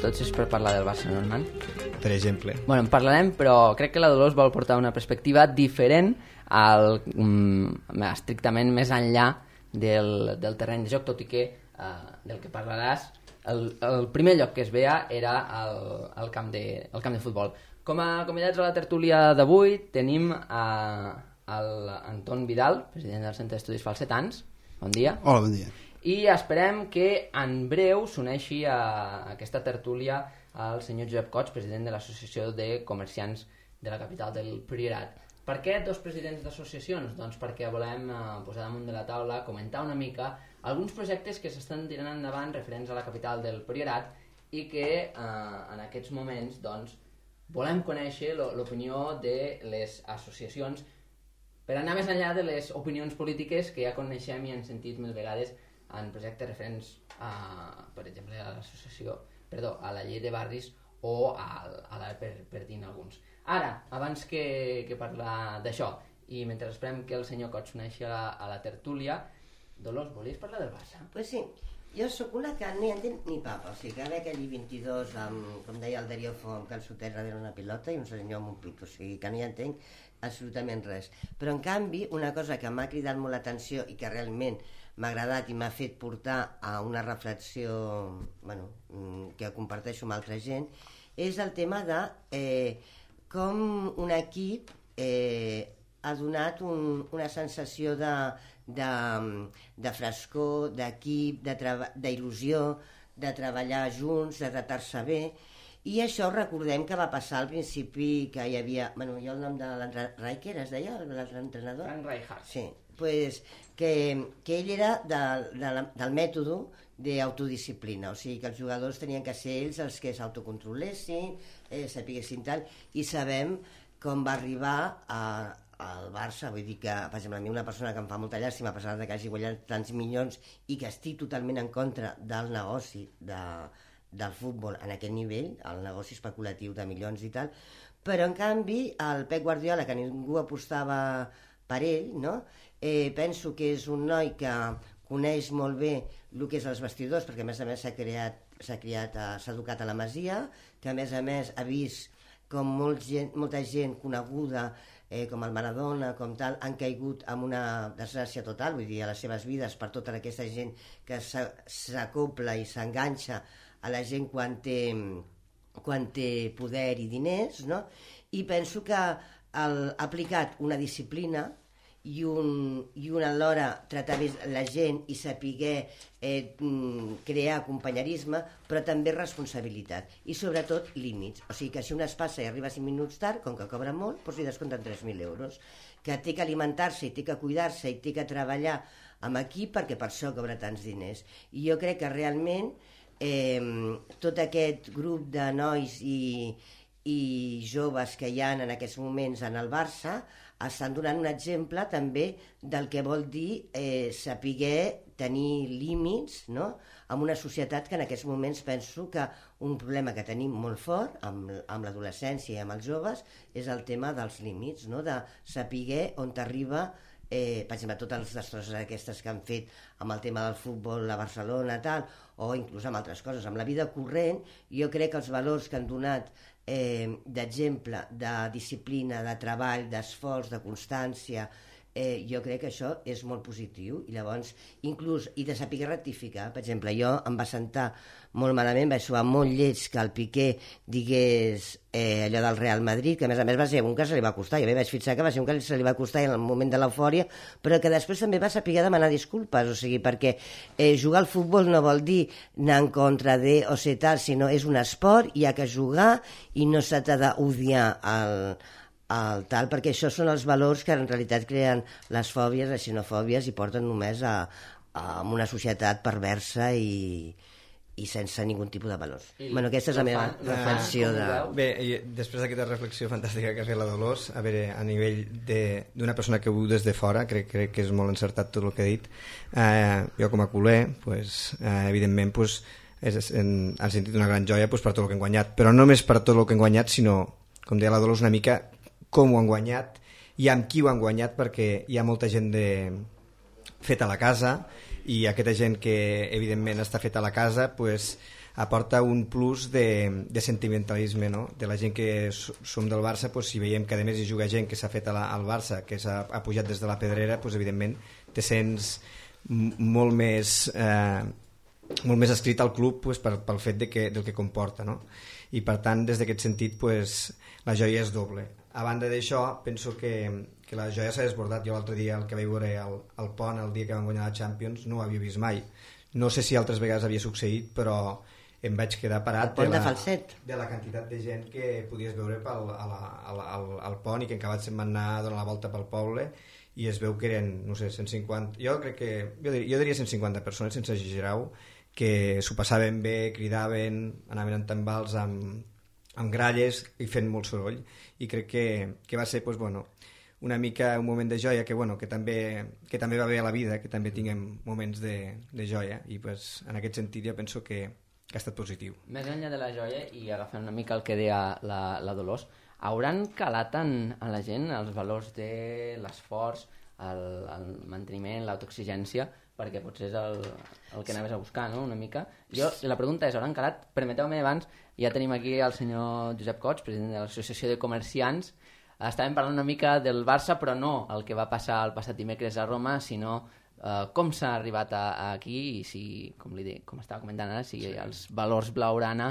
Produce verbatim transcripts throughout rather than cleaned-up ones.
sobretot si és per parlar del Barça, no, Hernán? Per exemple. Bueno, en parlarem, però crec que la Dolors vol portar una perspectiva diferent al, um, estrictament més enllà del, del terreny de joc, tot i que uh, del que parlaràs el, el primer lloc que es veia era el, el, camp de, el camp de futbol. Com a convidats a la tertúlia d'avui tenim a, a l'Anton Vidal, president del Centre d'Estudis Falsetans. Bon dia. Hola, bon dia. I esperem que en breu s'uneixi a aquesta tertúlia el senyor Josep Cots, president de l'Associació de Comerciants de la capital del Priorat. Per què dos presidents d'associacions? Doncs perquè volem eh, posar damunt de la taula, comentar una mica alguns projectes que s'estan tirant endavant referents a la capital del Priorat i que eh, en aquests moments doncs, volem conèixer l'opinió de les associacions per anar més enllà de les opinions polítiques que ja coneixem i hem sentit mil vegades en projectes referents a, per exemple, a l'associació, perdó, a la llei de barris o a, a la per, per dir alguns. Ara, abans que, que parlar d'això, i mentre esperem que el senyor Cots s'uneixi a, la, a la tertúlia, Dolors, volies parlar del Barça? Pues sí, jo sóc una que no hi entenc ni papa, o sigui, que ve aquell vint-i-dos amb, com deia el Darío Font, que el soter darrere una pilota i un senyor amb un pit, o sigui, que no hi entenc absolutament res. Però, en canvi, una cosa que m'ha cridat molt l'atenció i que realment m'ha agradat i m'ha fet portar a una reflexió, bueno, que comparteixo amb altra gent, és el tema de eh, com un equip eh, ha donat un, una sensació de, de, de frescor, d'equip, d'il·lusió, de treballar junts, de tratar-se bé. I això recordem que va passar al principi que hi havia... Bueno, jo el nom de l'entrenador... Riker es deia, l'entrenador? Frank Rijkaard. Sí, pues, que, que ell era de, de, del mètode d'autodisciplina, o sigui que els jugadors tenien que ser ells els que s'autocontrolessin, eh, sapiguessin tal, i sabem com va arribar a, al Barça, vull dir que, per exemple, a mi una persona que em fa molta llàstima, a pesar de que hagi guanyat tants milions i que estic totalment en contra del negoci de, del futbol en aquest nivell, el negoci especulatiu de milions i tal, però en canvi el Pep Guardiola, que ningú apostava per ell, no? eh, penso que és un noi que coneix molt bé el que és els vestidors, perquè a més a més s'ha creat, s'ha criat, s'ha educat a la Masia, que a més a més ha vist com molt gent, molta gent coneguda, eh, com el Maradona, com tal, han caigut en una desgràcia total, vull dir, a les seves vides, per tota aquesta gent que s'acopla i s'enganxa a la gent quan té, quan té poder i diners, no? I penso que el, ha aplicat una disciplina i un, i un alhora tractar bé la gent i saber eh, crear companyerisme, però també responsabilitat i sobretot límits, o sigui que si un es passa i arriba cinc minuts tard, com que cobra molt, doncs li descompten tres mil euros, que té que alimentar-se i té que cuidar-se i té que treballar amb equip perquè per això cobra tants diners. I jo crec que realment eh, tot aquest grup de nois i, i joves que hi ha en aquests moments en el Barça estan donant un exemple també del que vol dir eh, saber tenir límits, no? En una societat que en aquests moments penso que un problema que tenim molt fort amb, amb l'adolescència i amb els joves és el tema dels límits, no? De saber on t'arriba, eh, per exemple, totes les destrosses aquestes que han fet amb el tema del futbol a Barcelona, tal, o inclús amb altres coses. Amb la vida corrent, jo crec que els valors que han donat Eh, d'exemple, de disciplina, de treball, d'esforç, de constància, eh, jo crec que això és molt positiu i llavors, inclús, i de saber rectificar. Per exemple, jo em va sentar molt malament, vaig sobar molt lleig que el Piqué digués eh, allò del Real Madrid, que a més a més va ser un que se li va costar, jo bé vaig fixar que va ser un que se li va costar en el moment de l'eufòria, però que després també va saber demanar disculpes, o sigui, perquè eh, jugar al futbol no vol dir anar en contra de o ser tal, sinó és un esport, hi ha que jugar i no s'ha d'odiar el, el tal, perquè això són els valors que en realitat creen les fòbies, les xenofòbies i porten només a, a una societat perversa i i sense ningun tipus de valors. I bueno, aquesta és la meva fan, reflexió de... Bé, i després d'aquesta reflexió fantàstica que ha fet la Dolors, a veure, a nivell d'una persona que viu des de fora, crec, crec que és molt encertat tot el que ha dit. Eh, jo com a culer, pues, eh, evidentment, pues, és, en, han sentit una gran joia pues, per tot el que han guanyat, però no només per tot el que han guanyat, sinó, com deia la Dolors, una mica com ho han guanyat i amb qui ho han guanyat, perquè hi ha molta gent de... feta a la casa, i aquesta gent que evidentment està feta a la casa pues, aporta un plus de, de sentimentalisme, no? De la gent que som del Barça, pues, si veiem que a més hi juga gent que s'ha fet a la, al Barça, que s'ha ha pujat des de la pedrera, pues, evidentment te sents molt més eh, molt més escrit al club, pues, per, pel fet de que, del que comporta, no? I per tant, des d'aquest sentit, pues, la joia és doble. A banda d'això, penso que, que la joia s'ha desbordat. Jo l'altre dia, el que vaig veure al, al pont, el dia que van guanyar la Champions, no ho havia vist mai. No sé si altres vegades havia succeït, però em vaig quedar parat de, la, de, de la quantitat de gent que podies veure pel, a la, a la, al, al pont i que encara se'n van anar a donar la volta pel poble i es veu que eren, no sé, cent cinquanta, jo crec que, jo diria, jo diria cent cinquanta persones, sense exagerar-ho, que s'ho passaven bé, cridaven, anaven en tambals amb, amb gralles i fent molt soroll, i crec que, que va ser, pues, bueno, una mica un moment de joia que, bueno, que, també, que també va bé a la vida, que també tinguem moments de, de joia, i pues, en aquest sentit jo penso que, que ha estat positiu. Més enllà de la joia, i agafant una mica el que deia la, la Dolors, hauran calat en, en la gent els valors de l'esforç, el, el manteniment, l'autoexigència, perquè potser és el, el que anaves a buscar, no?, una mica. Jo, la pregunta és, hauran calat? Permeteu-me abans, ja tenim aquí el senyor Josep Cots, president de l'Associació de Comerciants. Estàvem parlant una mica del Barça, però no el que va passar el passat dimecres a Roma, sinó eh, com s'ha arribat a, a aquí i si, com, li dic, com estava comentant ara, si sí. els valors blaugrana,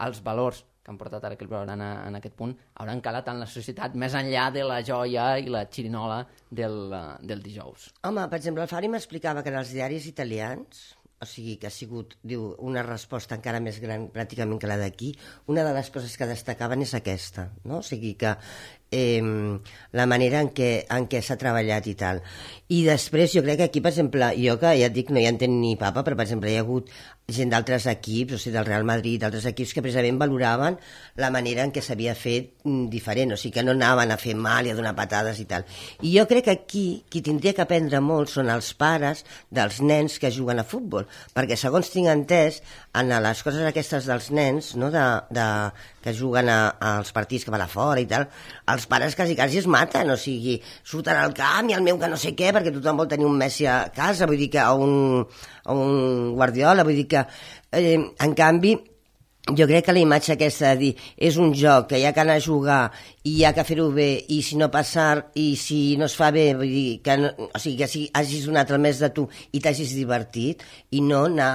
els valors que han portat ara aquest blaugrana en aquest punt, hauran calat en la societat més enllà de la joia i la xirinola del, del dijous. Home, per exemple, el Fari m'explicava que en els diaris italians, o sigui, que ha sigut, diu, una resposta encara més gran pràcticament que la d'aquí, una de les coses que destacaven és aquesta, no? O sigui que eh, la manera en què, en què s'ha treballat i tal. I després jo crec que aquí, per exemple, jo que ja et dic, no hi entenc ni papa, però per exemple hi ha hagut gent d'altres equips, o sigui, del Real Madrid, d'altres equips que precisament valoraven la manera en què s'havia fet diferent, o sigui, que no anaven a fer mal i a donar patades i tal. I jo crec que aquí qui tindria que aprendre molt són els pares dels nens que juguen a futbol, perquè segons tinc entès, en les coses aquestes dels nens, no, de, de, que juguen a, als partits que van a fora i tal, els pares quasi quasi es maten, o sigui, surten al camp i el meu que no sé què, perquè tothom vol tenir un Messi a casa, vull dir que, o un, o un Guardiola, vull dir que eh, en canvi jo crec que la imatge aquesta de dir és un joc que hi ha que anar a jugar i hi ha que fer-ho bé, i si no passar i si no es fa bé, vull dir que, no, o sigui, que si hagis donat el més de tu i t'hagis divertit, i no anar,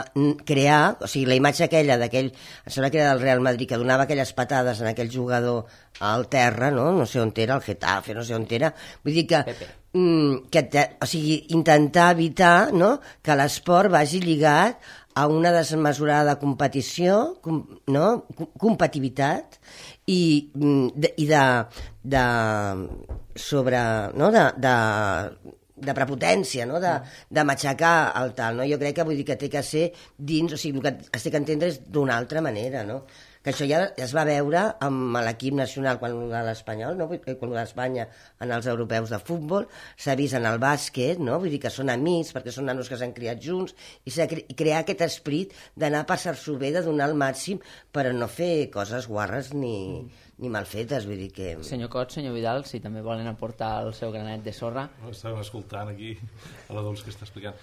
crear, o sigui, la imatge aquella d'aquell, em sembla que era del Real Madrid, que donava aquelles patades en aquell jugador al terra, no, no sé on era, el Getafe, no sé on era, vull dir que mm, que te, o sigui, intentar evitar, no, que l'esport vagi lligat a una desmesurada competició, com, no? competitivitat i de, i de, de sobre, no? de, de, de prepotència, no? de, de matxacar el tal. No? Jo crec que vull dir que té que ser dins, o sigui, el que es té que entendre és d'una altra manera, no? Que això ja es va veure amb l'equip nacional quan de l'Espanyol, no? Quan d'Espanya en els europeus de futbol, s'ha vist en el bàsquet, no? Vull dir que són amics perquè són nanos que s'han criat junts, i s'ha cre crear aquest esprit d'anar a passar-s'ho bé, de donar el màxim, però no fer coses guarres ni, mm. ni mal fetes, vull dir que... Senyor Cots, senyor Vidal, si també volen aportar el seu granet de sorra. Estàvem escoltant aquí a la Dols que està explicant.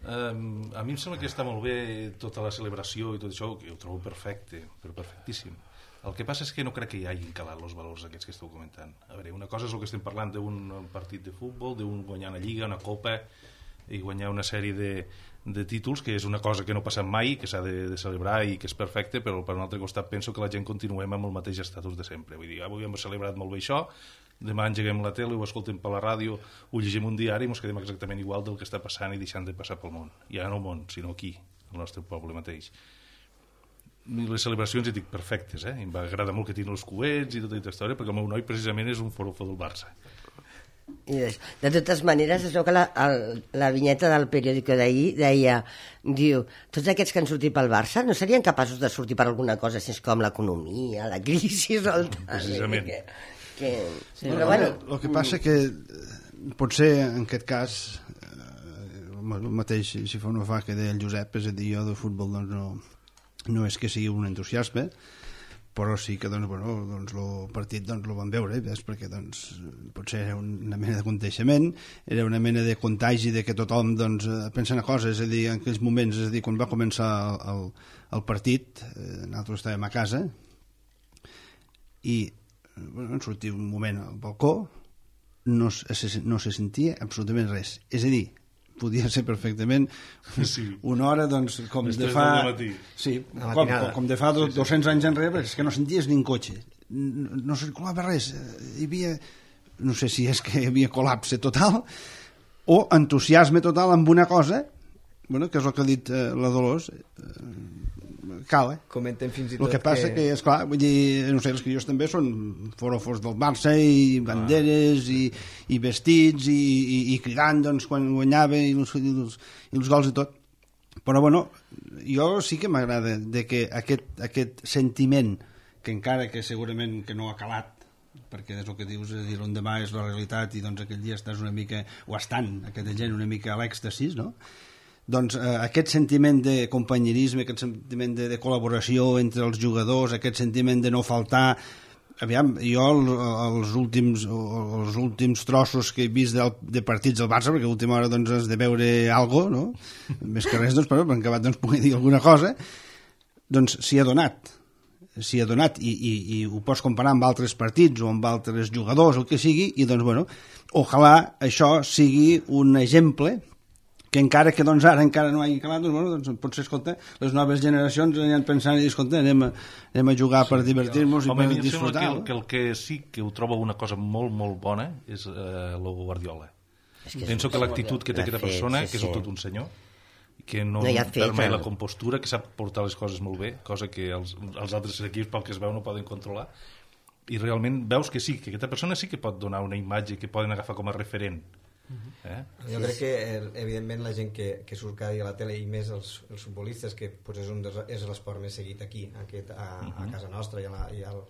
Um, a mi em sembla que està molt bé tota la celebració i tot això, que ho trobo perfecte, però perfectíssim. El que passa és que no crec que hi hagin calat els valors aquests que esteu comentant. A veure, una cosa és el que estem parlant d'un partit de futbol, d'un guanyar una lliga, una copa i guanyar una sèrie de, de títols, que és una cosa que no passa mai, que s'ha de, de celebrar i que és perfecte, però per un altre costat penso que la gent continuem amb el mateix estatus de sempre. Vull dir, avui hem celebrat molt bé això, demà engeguem la tele, ho escoltem per la ràdio, ho llegim un diari i ens quedem exactament igual del que està passant i deixant de passar pel món. Ja no al món, sinó aquí, al nostre poble mateix. I les celebracions, hi dic, perfectes, eh? Em va agradar molt que tinguin els coets i tota aquesta història, perquè el meu noi precisament és un forofo del Barça. I de, de totes maneres, es veu que la, el, la vinyeta del periòdico d'ahir deia, diu, tots aquests que han sortit pel Barça no serien capaços de sortir per alguna cosa així com l'economia, la crisi o el tal. Precisament. Que, que... Sí, però bueno, el que passa que potser en aquest cas el mateix, si fa no fa que deia el Josep, és a dir, jo de futbol doncs no, no és que sigui un entusiasme, però sí que doncs, bueno, doncs, el partit doncs, el van veure, ves, perquè doncs, potser era una mena de contagiament, era una mena de contagi de que tothom doncs, pensa una cosa, és a dir, en aquells moments, és a dir, quan va començar el, el, el partit, eh, nosaltres estàvem a casa i bueno, sortia un moment al balcó, no se, no se sentia absolutament res, és a dir, podia ser perfectament sí. una hora doncs, com Després de fa sí, com, com, com de fa do, sí, sí. dos-cents anys enrere, és que no senties ni un cotxe, no, no circulava res, hi havia, no sé si és que hi havia col·lapse total o entusiasme total amb una cosa, bueno, que és el que ha dit eh, la Dolors, eh, cal, eh? Comenten fins i tot el que passa que, que esclar, vull dir, no sé, els crios també són forofos del Barça i banderes ah. i, i vestits i, i, i cridant doncs, quan guanyava i els, i, els, i els gols i tot, però bueno, jo sí que m'agrada de que aquest, aquest sentiment que encara que segurament que no ha calat, perquè és el que dius, és dir, l'endemà és la realitat i doncs aquell dia estàs una mica, o estan aquesta gent una mica a l'èxtasis, no? Doncs eh, aquest sentiment de companyerisme, aquest sentiment de, de col·laboració entre els jugadors, aquest sentiment de no faltar, aviam, jo el, els, últims, els últims trossos que he vist de, de partits del Barça, perquè a última hora doncs, has de veure algo, no? Més que res, doncs, però en acabat doncs, pugui dir alguna cosa, doncs s'hi ha donat s'hi ha donat i, i, i ho pots comparar amb altres partits o amb altres jugadors o el que sigui, i doncs bueno, ojalà això sigui un exemple que encara que doncs, ara encara no hagi calat, doncs, bueno, doncs, potser, escolta, les noves generacions aniran pensant i dir, escolta, anem a, anem a jugar sí, per divertir-nos i per disfrutar. Que el, que el que sí que ho trobo una cosa molt, molt bona és eh, el Guardiola. És que Penso que l'actitud que té aquesta persona, sí, sí. que és tot un senyor, que no, no perd mai la compostura, que sap portar les coses molt bé, cosa que els, els altres equips, pel que es veu, no poden controlar, i realment veus que sí, que aquesta persona sí que pot donar una imatge que poden agafar com a referent. Eh? Jo crec que evidentment la gent que, que surt cada dia a la tele i més els, els futbolistes, que pues, és, un dels, és l'esport més seguit aquí aquest, a, a casa nostra i, a la, i, al,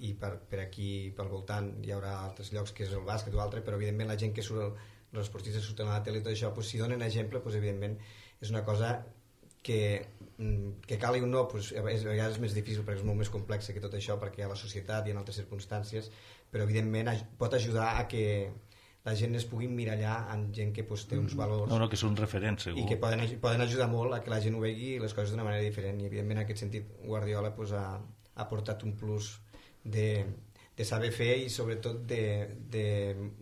i per, per aquí pel voltant hi haurà altres llocs que és el bàsquet o altre, però evidentment la gent que surt, els esportistes surten a la tele i tot això, pues, si donen exemple, pues, evidentment és una cosa que, que cal i un no, pues, és, a vegades és més difícil perquè és molt més complex que tot això, perquè hi ha la societat i en altres circumstàncies, però evidentment pot ajudar a que la gent es pugui mirallar amb gent que pues, té uns valors no, no, que són referents, segur. I que poden, poden ajudar molt a que la gent ho vegi les coses d'una manera diferent, i evidentment en aquest sentit Guardiola pues, ha, ha portat un plus de, de saber fer i sobretot de, de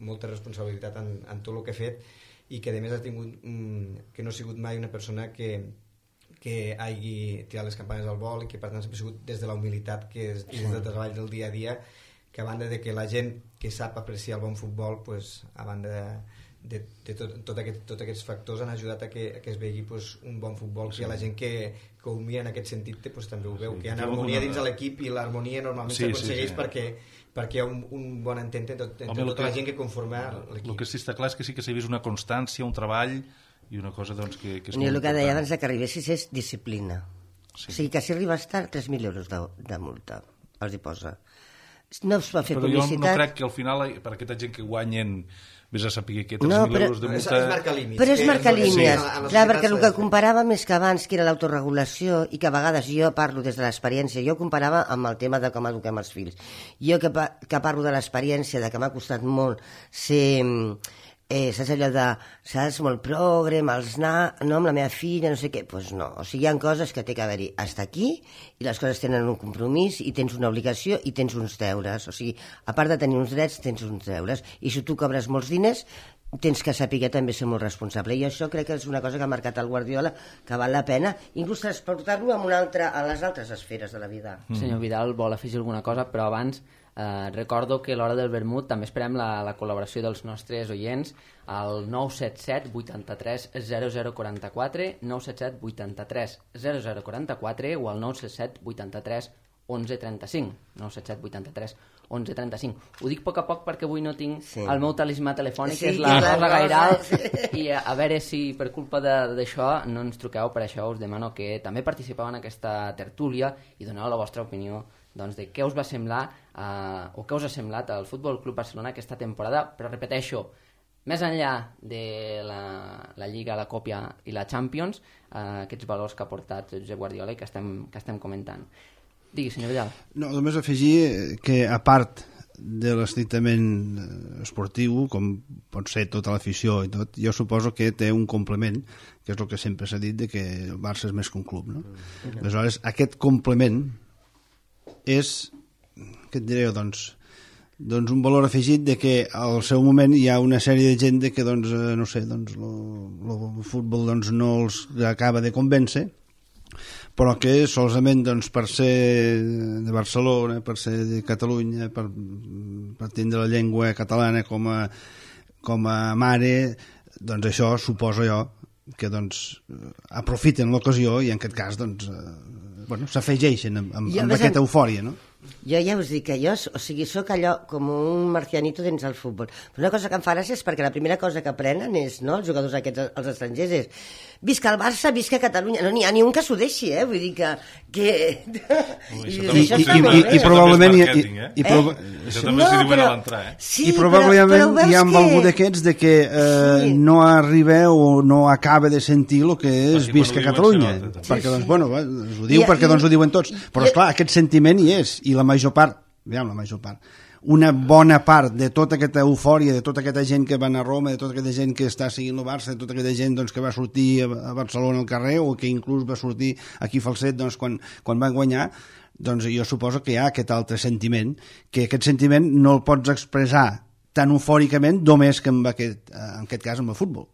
molta responsabilitat en, en tot el que ha fet, i que a més ha tingut mm, que no ha sigut mai una persona que que hagi tirat les campanes al vol i que per tant sempre ha sigut des de la humilitat que és, i des del treball del dia a dia, que a banda de que la gent que sap apreciar el bon futbol, pues, a banda de, de, de tot, tot aquest, tots aquests factors han ajudat a que, a que es vegi pues, un bon futbol, sí. Que la gent que, que ho mira en aquest sentit pues, també ho veu, sí. Que hi ha harmonia dins de l'equip i l'harmonia normalment sí, s'aconsegueix sí, sí. perquè, perquè hi ha un, un bon entente entre, entre Home, tota que, la gent que conforma l'equip. El que sí està clar és que sí que s'ha vist una constància, un treball i una cosa doncs, que, que és molt important. El que deia abans que arribessis és disciplina. Sí. O sigui que si arribes tard, tres mil euros de, de multa els hi posa. No es va fer però publicitat. Jo no crec que al final, per aquesta gent que guanyen, vés a saber que tres mil euros de multa... És, és marcar límits. Però és marcar línies. Sí. Clar, perquè el que comparàvem és que abans, que era l'autoregulació, i que a vegades jo parlo des de l'experiència, jo comparava amb el tema de com eduquem els fills. Jo que, que parlo de l'experiència, de que m'ha costat molt ser... Eh, saps allò de, saps, molt progre, amb els na, no, amb la meva filla, no sé què, doncs pues no, o sigui, hi ha coses que té que haver-hi hasta aquí, i les coses tenen un compromís, i tens una obligació, i tens uns deures, o sigui, a part de tenir uns drets, tens uns deures, i si tu cobres molts diners, tens que saber també ser molt responsable, i això crec que és una cosa que ha marcat el Guardiola, que val la pena, inclús transportar-lo a, una altra, a les altres esferes de la vida. Mm. Senyor Vidal vol afegir alguna cosa, però abans eh, recordo que a l'hora del vermut també esperem la, la col·laboració dels nostres oients al nou set set vuitanta-tres zero zero quaranta-quatre, nou set set vuitanta-tres zero zero quaranta-quatre o al nou set set vuitanta-tres onze trenta-cinc, nou set set vuitanta-tres onze trenta-cinc. Ho dic a poc a poc perquè avui no tinc sí. el meu talismà telefònic, sí, que és la Rosa Gairal, i a, a veure si per culpa d'això no ens truqueu. Per això us demano que també participeu en aquesta tertúlia i doneu la vostra opinió doncs, de què us va semblar eh, o què us ha semblat al Futbol Club Barcelona aquesta temporada, però repeteixo, més enllà de la, la Lliga, la Còpia i la Champions, eh, aquests valors que ha portat Josep Guardiola i que estem, que estem comentant. Digui, senyor Vidal. No, només afegir que, a part de l'estrictament esportiu, com pot ser tota l'afició i tot, jo suposo que té un complement, que és el que sempre s'ha dit, de que el Barça és més que un club, no? Mm. Aleshores, aquest complement és, què et diré, doncs, doncs un valor afegit de que al seu moment hi ha una sèrie de gent de que, doncs, no sé, doncs, el futbol doncs, no els acaba de convèncer, però que solament doncs, per ser de Barcelona, per ser de Catalunya, per, per tindre la llengua catalana com a, com a mare, doncs això suposo jo que doncs, aprofiten l'ocasió i en aquest cas doncs, eh, bueno, s'afegeixen amb, amb, amb aquesta eufòria, no? Jo ja us dic que jo, o sigui, sóc allò com un marcianito dins el futbol. Però una cosa que em fa gràcia és perquè la primera cosa que aprenen és, no, els jugadors aquests, els estrangers, és visca el Barça, visca Catalunya. No n'hi ha ni un que s'ho deixi, eh? Vull dir que... que... Ui, I, I, això i, i, i probablement... I, i, eh? i, proba... eh? Això també s'hi diuen a l'entrar, eh? Sí, I probablement però, però hi ha que... algú d'aquests de que eh, sí. no arriba o no acaba de sentir el que és perquè visca Catalunya. Catalunya. Sí, perquè, sí. doncs, bueno, ho diu I, perquè i, doncs, ho diuen tots. Però, esclar, aquest sentiment hi és, i la major part, aviam, la major part, una bona part de tota aquesta eufòria, de tota aquesta gent que va anar a Roma, de tota aquesta gent que està seguint el Barça, de tota aquesta gent doncs, que va sortir a Barcelona al carrer o que inclús va sortir aquí a Falset doncs, quan, quan van guanyar, doncs jo suposo que hi ha aquest altre sentiment, que aquest sentiment no el pots expressar tan eufòricament només que en aquest, en aquest cas amb el futbol.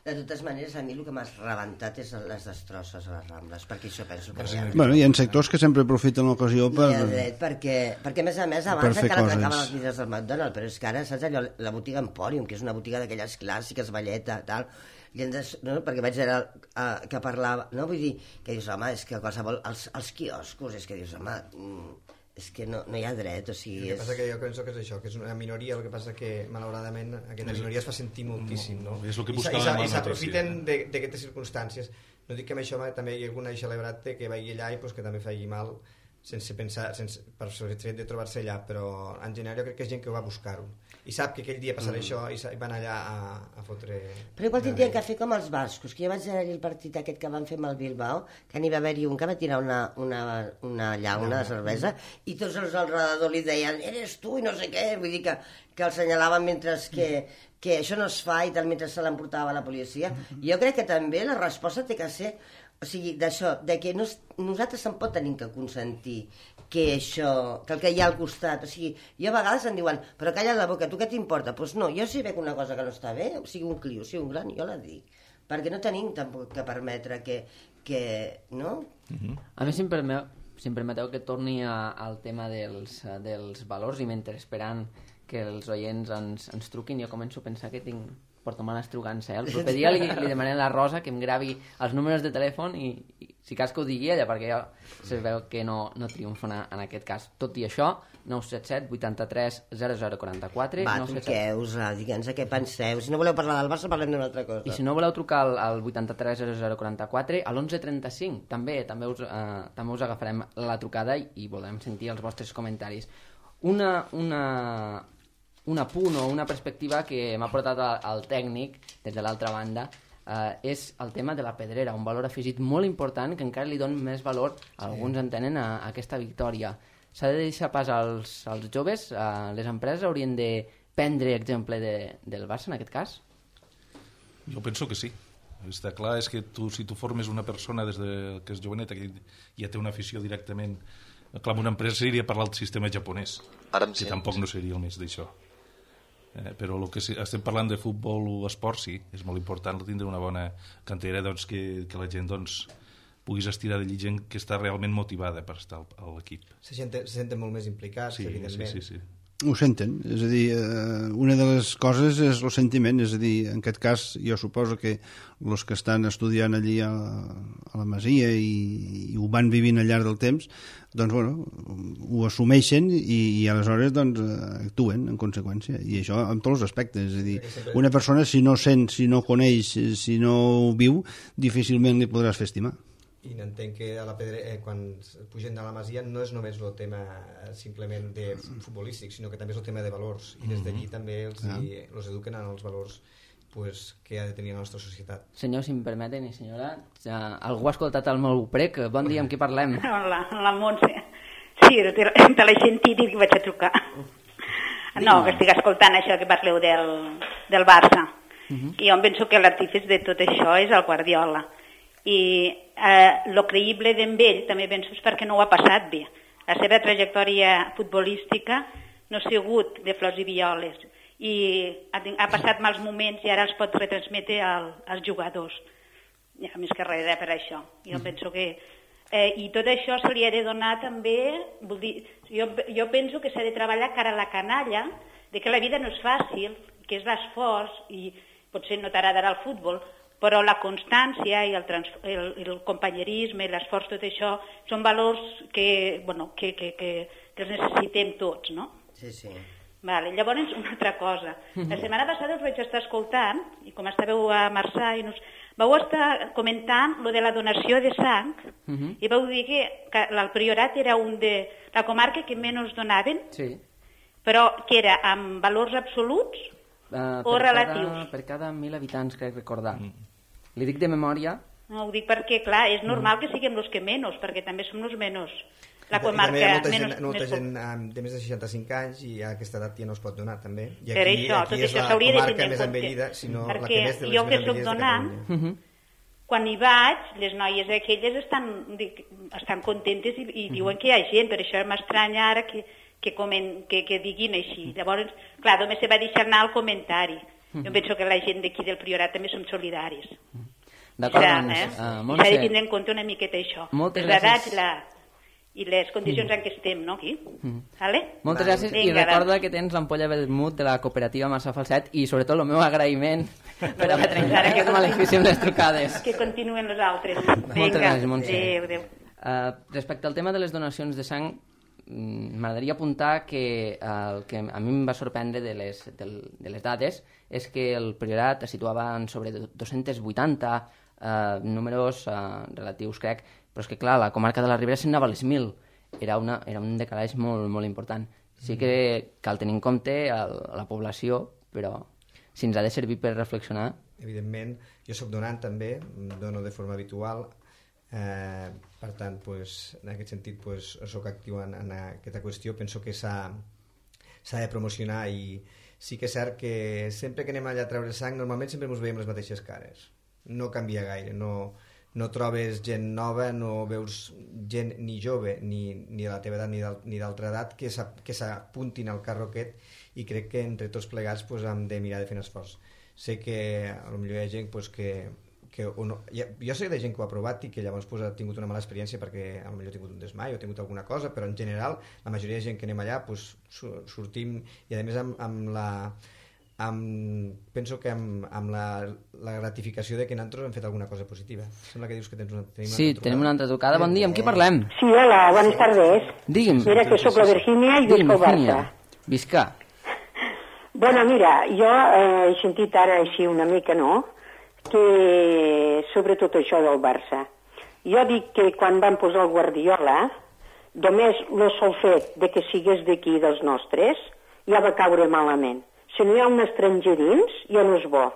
De totes maneres, a mi el que m'ha rebentat és les destrosses a les Rambles, perquè això penso que... Ja... Bueno, hi ha sectors que sempre aprofiten l'ocasió per... I dret, perquè, perquè a més a més abans encara trencaven les vidres del McDonald's, però és que ara, saps allò, la botiga Emporium, que és una botiga d'aquelles clàssiques, velleta, tal, i des, no? perquè vaig veure uh, que parlava, no? Vull dir, que dius, home, és que qualsevol... Els, els quioscos, és que dius, home... Mm, és que no, no hi ha dret, o sigui... El que passa que jo penso que és això, que és una minoria, el que passa que, malauradament, aquesta minoria es fa sentir moltíssim, no? És el que I buscàvem I s'aprofiten d'aquestes circumstàncies. No dic que amb això també hi ha algun celebrat que vagi allà i pues, que també faci mal sense pensar, sense, per el fet de trobar-se allà, però en general jo crec que és gent que va buscar-ho i sap que aquell dia passarà mm. això i van allà a, a fotre... Però igual tindrien que fer com els bascos, que jo vaig veure el partit aquest que van fer amb el Bilbao, que n'hi va haver-hi un que va tirar una, una, una llauna de cervesa i tots els al redador li deien eres tu i no sé què, vull dir que, que el senyalaven mentre que, que això no es fa i tal, mentre se l'emportava la policia. I jo crec que també la resposta té que ser, o sigui, d'això, de que no, nosaltres se'n pot tenir que consentir que això, que el que hi ha al costat, o sigui, jo a vegades em diuen, però calla la boca, tu què t'importa? Doncs pues no, jo si veig una cosa que no està bé, o sigui un clio, o sigui un gran, jo la dic, perquè no tenim tampoc que permetre que, que no? Uh-huh. A mi, si em permeteu, si em permeteu que torni a, al tema dels, dels valors, i mentre esperant que els oients ens, ens truquin, jo començo a pensar que tinc portamanes trucant-se. Eh? El proper dia li, li demanem a la Rosa que em gravi els números de telèfon i, i si cas que ho digui ella, perquè ja se veu que no, no triomfa en aquest cas. Tot i això, nou set set vuitanta-tres zero zero quaranta-quatre. Va, truqueu-vos, digue'ns a què penseu. Si no voleu parlar del Barça, parlem d'una altra cosa. I si no voleu trucar al, al vuitanta-tres zero zero quaranta-quatre, a l'onze trenta-cinc, també també us, eh, també us agafarem la trucada i, i volem sentir els vostres comentaris. Una... una un apunt o una perspectiva que m'ha portat al tècnic des de l'altra banda eh, és el tema de la pedrera, un valor afegit molt important que encara li dona més valor, alguns entenen, a, a aquesta victòria. S'ha de deixar pas als, als joves, eh, les empreses haurien de prendre exemple de, del Barça en aquest cas? Jo penso que sí. Està clar, és que tu, si tu formes una persona des de, que és joveneta, que ja té una afició directament, clar, una empresa seria parlar del sistema japonès, que tampoc no seria el més d'això. Eh, però el que si, estem parlant de futbol o esport, sí, és molt important tindre una bona cantera, doncs, que, que la gent doncs, puguis estirar de gent que està realment motivada per estar a l'equip. Se senten, se senten molt més implicats, sí, evidentment. Sí, sí, sí. Ho senten, és a dir, eh, una de les coses és el sentiment, és a dir, en aquest cas jo suposo que els que estan estudiant allí a, a la Masia i, i ho van vivint al llarg del temps, doncs, bueno, ho assumeixen i, i aleshores doncs, actuen en conseqüència, i això en tots els aspectes, és a dir, una persona si no sent, si no coneix, si no ho viu, difícilment li podràs fer estimar. I entenc que a la pedre, eh, quan pugen de la Masia no és només el tema simplement de futbolístic, sinó que també és el tema de valors, i des d'allí també els, ah. i, els eduquen en els valors pues, que ha de tenir la nostra societat. Senyor, si em permeten, i senyora, ja, algú ha escoltat el meu prec, bon dia, amb qui parlem? Hola, la Montse. Sí, te, te l'he sentit i vaig a trucar. No, que estic escoltant això que parleu del, del Barça. Uh-huh. I jo em penso que l'artífice de tot això és el Guardiola. I eh, lo creïble d'en ell també penso és perquè no ho ha passat bé. La seva trajectòria futbolística no ha sigut de flors i violes. I ha, ha passat mals moments i ara els pot retransmetre al, als jugadors. Ja, més que res per això. Jo uh-huh. penso que... Eh, I tot això se li ha de donar també... Vull dir, jo, jo penso que s'ha de treballar cara a la canalla, de que la vida no és fàcil, que és l'esforç, i potser no t'agradarà el futbol, però la constància i el, trans, el, el companyerisme i l'esforç, tot això, són valors que, bueno, que, que, que, que els necessitem tots, no? Sí, sí. Vale. Llavors, una altra cosa. La setmana passada us vaig estar escoltant, i com estàveu a Marçà, i nos... vau estar comentant lo de la donació de sang, uh-huh. i vau dir que, que el Priorat era un de la comarca que menys donaven, sí. però que era amb valors absoluts uh, o per relatius? Cada, per cada mil habitants, crec recordar. Mm. Li dic de memòria. No, ho dic perquè, clar, és normal mm. que siguem els que menys, perquè també som els menys. La comarca I també hi ha molta menys, gent, molta més... gent de més de seixanta-cinc anys i a aquesta edat ja no es pot donar, també. I per aquí, això, aquí tot és això la s'hauria de comarca tenir en més compte. envellida, sinó perquè la que més de les jo més que soc envellides donant, de Catalunya. uh-huh. quan hi vaig, les noies aquelles estan, dic, estan contentes i, i uh-huh. diuen que hi ha gent, per això m'estranya ara que, que, comen, que, que diguin així. Llavors, clar, només se va deixar anar el comentari. Uh-huh. Jo penso que la gent d'aquí del Priorat també som solidaris. Uh-huh. D'acord, doncs, eh? uh, Montse. S'ha de tindre en compte una miqueta això. Moltes les gràcies. edats la, i les condicions mm. en què estem, no, aquí? Mm. Vale? Moltes gràcies. Vinga, i recorda doncs. Que tens l'ampolla Vermut de la cooperativa Marçà Falset i sobretot el meu agraïment per haver trencat aquest malefici amb les trucades. Que continuen els altres. Moltes Vinga. gràcies, Montse. Adéu, adéu. Uh, respecte al tema de les donacions de sang, m'agradaria apuntar que uh, el que a mi em va sorprendre de les, de, de les dades és que el Priorat es situava en sobre dos-cents vuitanta uh, números uh, relatius, crec, però és que, clar, la comarca de la Ribera se'n anava a les mil. Era, una, era un decalatge molt, molt important. Sí que cal tenir en compte el, la població, però si ens ha de servir per reflexionar... Evidentment, jo sóc donant també, dono de forma habitual, eh, per tant, pues, en aquest sentit, pues, sóc actiu en, en aquesta qüestió. Penso que s'ha de promocionar i sí que és cert que sempre que anem allà a treure sang, normalment sempre ens veiem les mateixes cares. No canvia gaire, no... no trobes gent nova, no veus gent ni jove, ni, ni de la teva edat ni d'altra edat que s'apuntin al carro aquest, i crec que entre tots plegats pues, hem de mirar de fer un esforç. Sé que potser hi ha gent pues, que... que no, ja, jo sé de gent que ho ha provat i que llavors pues, ha tingut una mala experiència perquè potser ha tingut un desmai o ha tingut alguna cosa, però en general la majoria de gent que anem allà pues, sortim, i a més amb, amb la... Amb, penso que amb, amb la, la gratificació de que nosaltres hem fet alguna cosa positiva. Sembla que dius que tens una, tenim una sí, altra tenim una altra trucada. Bon dia, amb qui parlem? Sí, hola, buenas tardes. Digui'm. Mira que sóc la Virgínia i visc al Barça. Visca. Bueno, mira, jo eh, he sentit ara així una mica, no?, que sobre tot això del Barça. Jo dic que quan van posar el Guardiola, només el sol fet de que sigués d'aquí dels nostres, ja va caure malament. Si no hi ha un estranger dins, ja no és bo.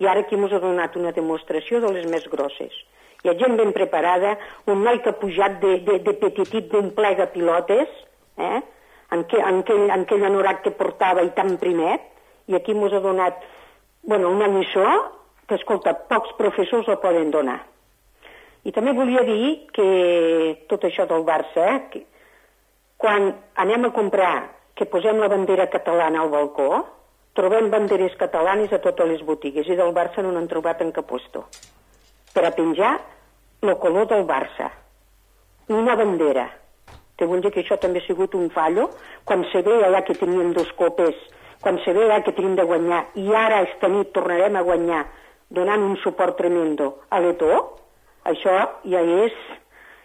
I ara aquí ens ha donat una demostració de les més grosses. Hi ha gent ben preparada, un noi que ha pujat de, de, de petitit d'un plega pilotes, eh? en, que, en, aquell, en aquell anorac que portava i tan primet, i aquí ens ha donat bueno, una lliçó que, escolta, pocs professors la poden donar. I també volia dir que tot això del Barça, eh, que quan anem a comprar, que posem la bandera catalana al balcó, trobem banderes catalanes a totes les botigues i del Barça no n'han trobat en cap puesto. Per a penjar el color del Barça. Una bandera. Te vull dir que això també ha sigut un fallo quan se ve allà que teníem dos copes, quan se ve allà que tenim de guanyar i ara esta nit tornarem a guanyar donant un suport tremendo a l'Eto, això ja és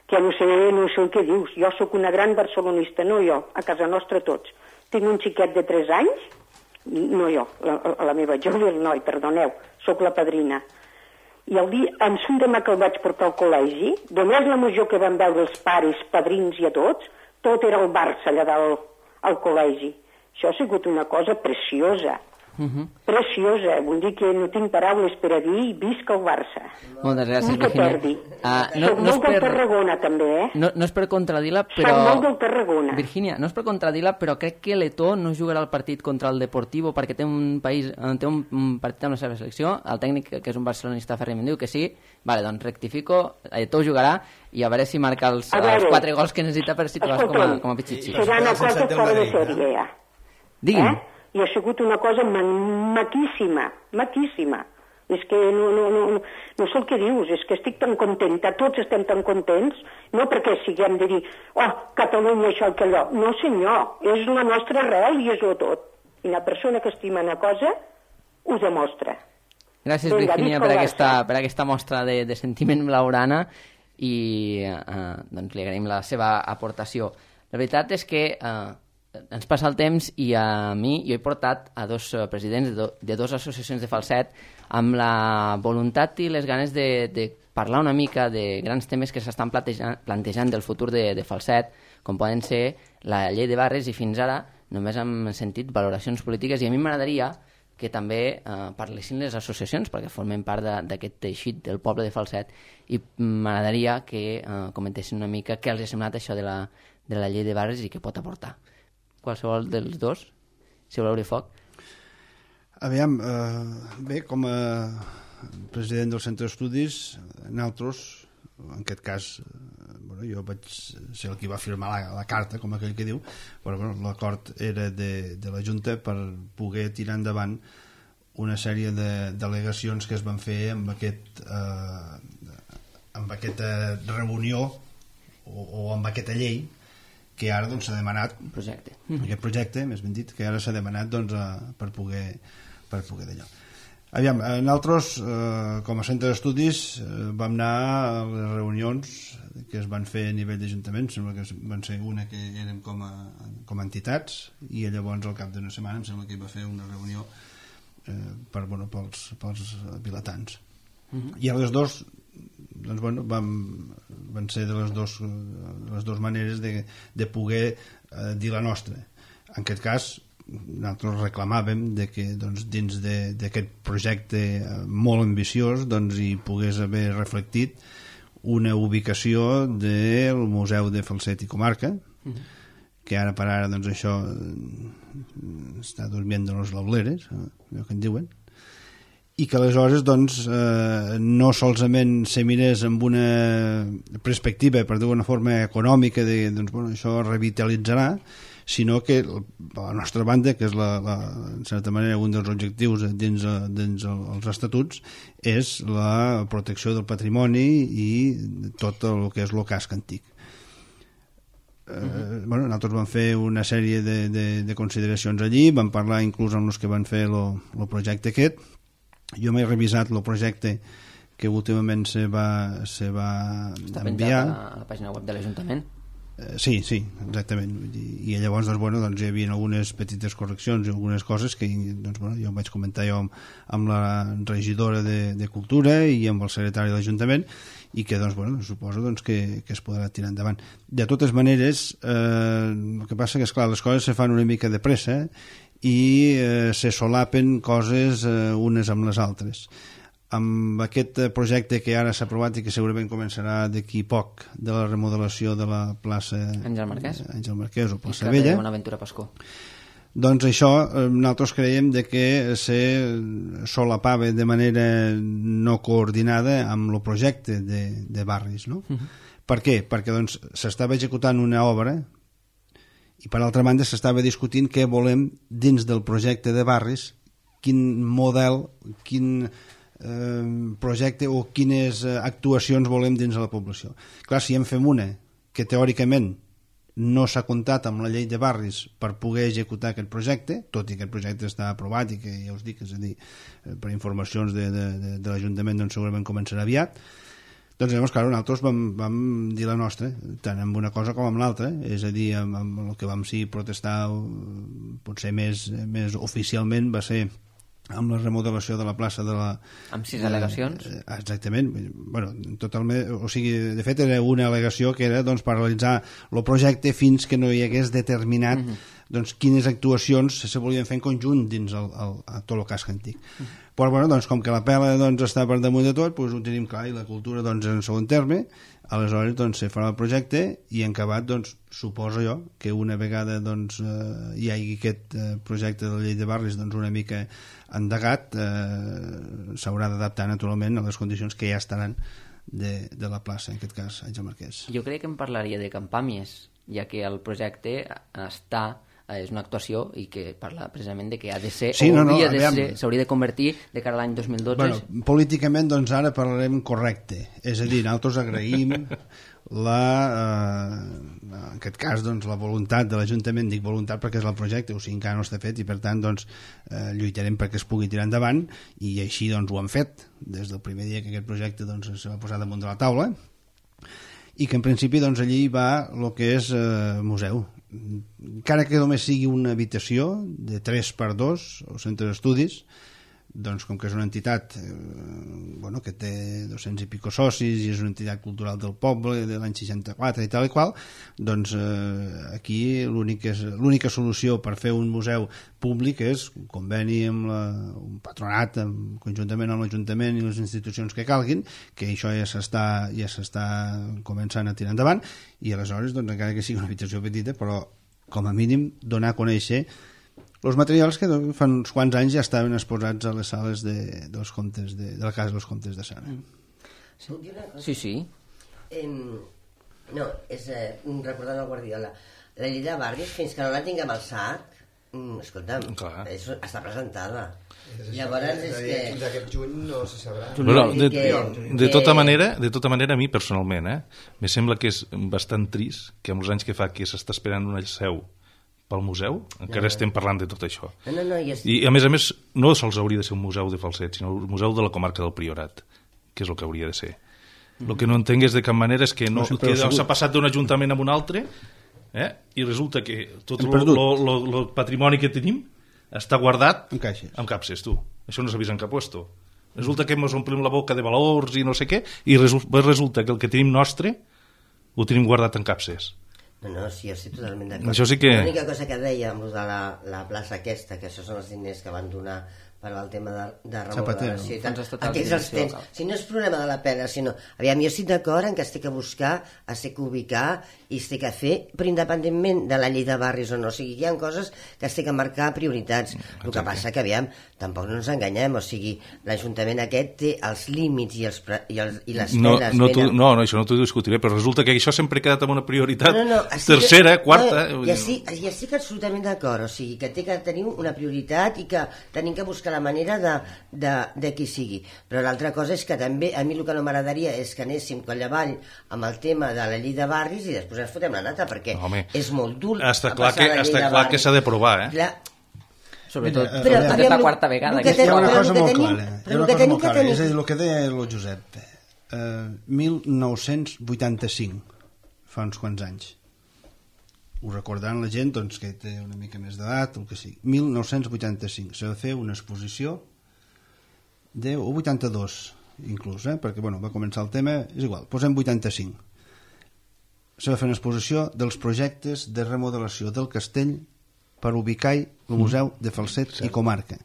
que no sé, no sé el que dius. Jo sóc una gran barcelonista, no jo, a casa nostra tots. Tinc un xiquet de tres anys, no jo, la, la meva jove, el noi, perdoneu, sóc la padrina. I el dia, en un demà que el vaig portar al col·legi, només la major que van veure els pares, padrins i a tots, tot era el Barça allà dalt al col·legi. Això ha sigut una cosa preciosa, Uh-huh. Preciosa, vull dir que no tinc paraules per a dir, visca el Barça. Moltes gràcies, no Virginia. Uh, no, Soc no molt per... del Tarragona, també, eh? No, no és per contradir-la, però... Soc molt del Tarragona. Virginia, no és per contradir-la, però crec que l'Etó no jugarà el partit contra el Deportivo perquè té un país, té un, un partit amb la seva selecció. El tècnic, que és un barcelonista ferrem, diu que sí. Vale, doncs rectifico, l'Etó jugarà i a veure si marca els, els quatre gols que necessita per situar-se com a, com a pitxitxi. Serà una cosa fora de sèrie, ja. Digui'm. Eh? I ha sigut una cosa ma maquíssima, maquíssima. És que no, no, no, no, no sé el que dius, és que estic tan contenta, tots estem tan contents, no perquè siguem de dir, oh, Catalunya, això, que allò. No, senyor, és la nostra arrel i és-ho tot. I una persona que estima una cosa ho demostra. Gràcies, Vinga, Virginia, per aquesta, per aquesta mostra de, de sentiment blaugrana i eh, doncs li agraïm la seva aportació. La veritat és que eh, ens passa el temps i a mi, jo he portat a dos presidents de, do, de dues associacions de falset amb la voluntat i les ganes de, de parlar una mica de grans temes que s'estan plantejant, plantejant del futur de, de falset, com poden ser la llei de barris, i fins ara només hem sentit valoracions polítiques, i a mi m'agradaria que també eh, parlessin les associacions, perquè formen part d'aquest teixit del poble de Falset, i m'agradaria que eh, comentessin una mica què els ha semblat això de la, de la llei de barris i què pot aportar. Qualsevol dels dos, si voleu obrir foc. Aviam, eh, bé, com a president del centre d'estudis, nosaltres, en aquest cas, eh, bueno, jo vaig ser el que va firmar la, la carta, com aquell que diu, però bueno, l'acord era de, de la Junta per poder tirar endavant una sèrie de delegacions que es van fer amb, aquest, eh, amb aquesta reunió o, o amb aquesta llei que ara doncs, s'ha demanat projecte. aquest projecte, més ben dit, que ara s'ha demanat doncs, a, per poder, per poder d'allò. Aviam, nosaltres, eh, com a centre d'estudis, eh, vam anar a les reunions que es van fer a nivell d'Ajuntament, sembla que van ser una que érem com a, com a entitats, i llavors al cap d'una setmana em sembla que hi va fer una reunió eh, per, bueno, pels, pels vilatans. Uh-huh. I a les dos doncs, bueno, vam, van ser de les dos, les dues maneres de, de poder eh, dir la nostra. En aquest cas, nosaltres reclamàvem de que doncs, dins d'aquest projecte molt ambiciós doncs, hi pogués haver reflectit una ubicació del Museu de Falset i Comarca, uh-huh. que ara per ara doncs, això està durmiendo los lauleres, allò que en diuen, i que aleshores doncs, eh, no solament se mirés amb una perspectiva, per dir d'una forma econòmica, de doncs, bueno, això revitalitzarà, sinó que la nostra banda, que és la, la, en certa manera un dels objectius dins, dins els estatuts, és la protecció del patrimoni i tot el que és el casc antic. Eh, bueno, nosaltres vam fer una sèrie de, de, de consideracions allí, vam parlar inclús amb els que van fer el projecte aquest. Jo m'he revisat el projecte que últimament se va, se va Està enviar. Està penjat a la pàgina web de l'Ajuntament? Eh, sí, sí, exactament. I, i llavors doncs, bueno, doncs, hi havia algunes petites correccions i algunes coses que doncs, bueno, jo vaig comentar jo amb, amb la regidora de, de Cultura i amb el secretari de l'Ajuntament, i que doncs, bueno, suposo doncs, que, que es podrà tirar endavant. De totes maneres, eh, el que passa que, esclar, les coses se fan una mica de pressa, eh? i eh, se solapen coses eh, unes amb les altres. Amb aquest projecte que ara s'ha aprovat i que segurament començarà d'aquí poc, de la remodelació de la plaça Àngel Marquès, Àngel Marquès o plaça Vella, Vella, Bonaventura Pascó, doncs això eh, nosaltres creiem de que se solapava de manera no coordinada amb el projecte de, de barris, no? Uh-huh. Per què? Perquè doncs s'estava executant una obra i per altra banda s'estava discutint què volem dins del projecte de barris, quin model, quin eh, projecte o quines actuacions volem dins de la població. Clar, si en fem una que teòricament no s'ha comptat amb la llei de barris per poder executar aquest projecte, tot i que el projecte està aprovat i que ja us dic, és a dir, per informacions de, de, de, de l'Ajuntament doncs segurament començarà aviat. Doncs llavors, clar, nosaltres vam, vam dir la nostra, tant amb una cosa com amb l'altra, és a dir, amb, amb el que vam sí protestar potser més, més oficialment va ser amb la remodelació de la plaça de la... Amb sis al·legacions? Eh, exactament. Bueno, totalment, o sigui, de fet era una al·legació que era doncs, paralitzar el projecte fins que no hi hagués determinat mm-hmm. doncs, quines actuacions se volien fer en conjunt dins el, el, el, tot el casc antic. Però bueno, doncs, com que la pela doncs, està per damunt de tot, doncs, ho tenim clar, i la cultura doncs, en segon terme, aleshores doncs, se farà el projecte i en acabat doncs, suposo jo que una vegada doncs, eh, hi hagi aquest eh, projecte de la llei de barris doncs, una mica endegat, eh, s'haurà d'adaptar naturalment a les condicions que ja estaran de, de la plaça, en aquest cas Àngel Marquès. Jo crec que em parlaria de campàmies, ja que el projecte està, és una actuació i que parla precisament de que ha de ser, sí, o no, no, hauria de aviam. ser, s'hauria de convertir de cara a l'any dos mil dotze. Bueno, políticament, doncs ara parlarem correcte. És a dir, nosaltres agraïm la, eh, en aquest cas, doncs, la voluntat de l'Ajuntament, dic voluntat perquè és el projecte, o sigui, encara no està fet i per tant, doncs, eh, lluitarem perquè es pugui tirar endavant i així, doncs, ho han fet des del primer dia que aquest projecte, doncs, se va posar damunt de la taula i que en principi, doncs, allí va el que és eh, museu. Encara que només sigui una habitació de tres per dos o centre d'estudis, doncs com que és una entitat eh, bueno, que té dos-cents i pico socis i és una entitat cultural del poble de l'any seixanta-quatre i tal i qual, doncs eh, aquí l'única solució per fer un museu públic és un conveni amb la, un patronat amb, conjuntament amb l'Ajuntament i les institucions que calguin, que això ja s'està ja s'està començant a tirar endavant i aleshores, doncs, encara que sigui una habitació petita, però com a mínim donar a conèixer els materials que fa uns quants anys ja estaven exposats a les sales de, dels comtes de, de la Casa dels Comtes de Sara. Sí, sí. sí. Eh, no, és eh, recordant el Guardiola. La llei de barris, fins que no la tinguem al sac, mm, escolta'm, és, està presentada. És Llavors és que... Fins aquest juny no se sabrà. Bueno, de, que, de, tota manera, de tota manera, a mi personalment, eh, me sembla que és bastant trist que amb els anys que fa que s'està esperant una seu pel museu, encara estem parlant de tot això. No, no, no, i, és... I a més a més, no sols hauria de ser un museu de Falset, sinó un museu de la comarca del Priorat, que és el que hauria de ser. El que no entenc és de cap manera és que no, no que s'ha passat d'un ajuntament a un altre, eh, i resulta que tot el patrimoni que tenim està guardat en caixes. En capses, tu. Això no s'ha vist en cap puesto. Resulta que ens omplim la boca de valors i no sé què, i resulta que el que tenim nostre ho tenim guardat en capses. No, no, sí, jo estic totalment d'acord. Això sí que... L'única cosa que deia amb de la, la plaça aquesta, que això són els diners que van donar per al tema de, de remodelació i tal, aquests els tens. Si no és problema de la pena, sinó... Aviam, jo estic d'acord en que es té que buscar, es té que ubicar i es té que fer, però independentment de la llei de barris o no. O sigui, hi ha coses que es té que marcar prioritats. El que passa que, aviam, tampoc no ens enganyem, o sigui, l'Ajuntament aquest té els límits i, els, i, els, i les no, penes... No, tu, no, no, això no t'ho discutiré, però resulta que això sempre ha quedat amb una prioritat no, no, no, tercera, que, quarta... No, ja, estic, ja estic absolutament d'acord, o sigui, que té que tenir una prioritat i que tenim que buscar la manera de, de, de qui sigui. Però l'altra cosa és que també, a mi el que no m'agradaria és que anéssim coll avall amb el tema de la llei de barris i després ens fotem la nata, perquè Home, és molt dur està clar que, està clar que s'ha de provar, eh? Clar, sobretot, Mira, però, aviam, és la quarta vegada que hi ha una cosa molt tenim, clara, però el que tenim que tenim... és a dir, el que deia el Josep, eh, mil nou-cents vuitanta-cinc, fa uns quants anys, ho recordaran la gent doncs, que té una mica més d'edat, el que sigui, mil nou-cents vuitanta-cinc, s'ha de fer una exposició de, o vuitanta-dos inclús, eh, perquè bueno, va començar el tema, és igual, posem vuitanta-cinc, s'ha de fer una exposició dels projectes de remodelació del castell per ubicar el Museu de Falset mm. i comarca.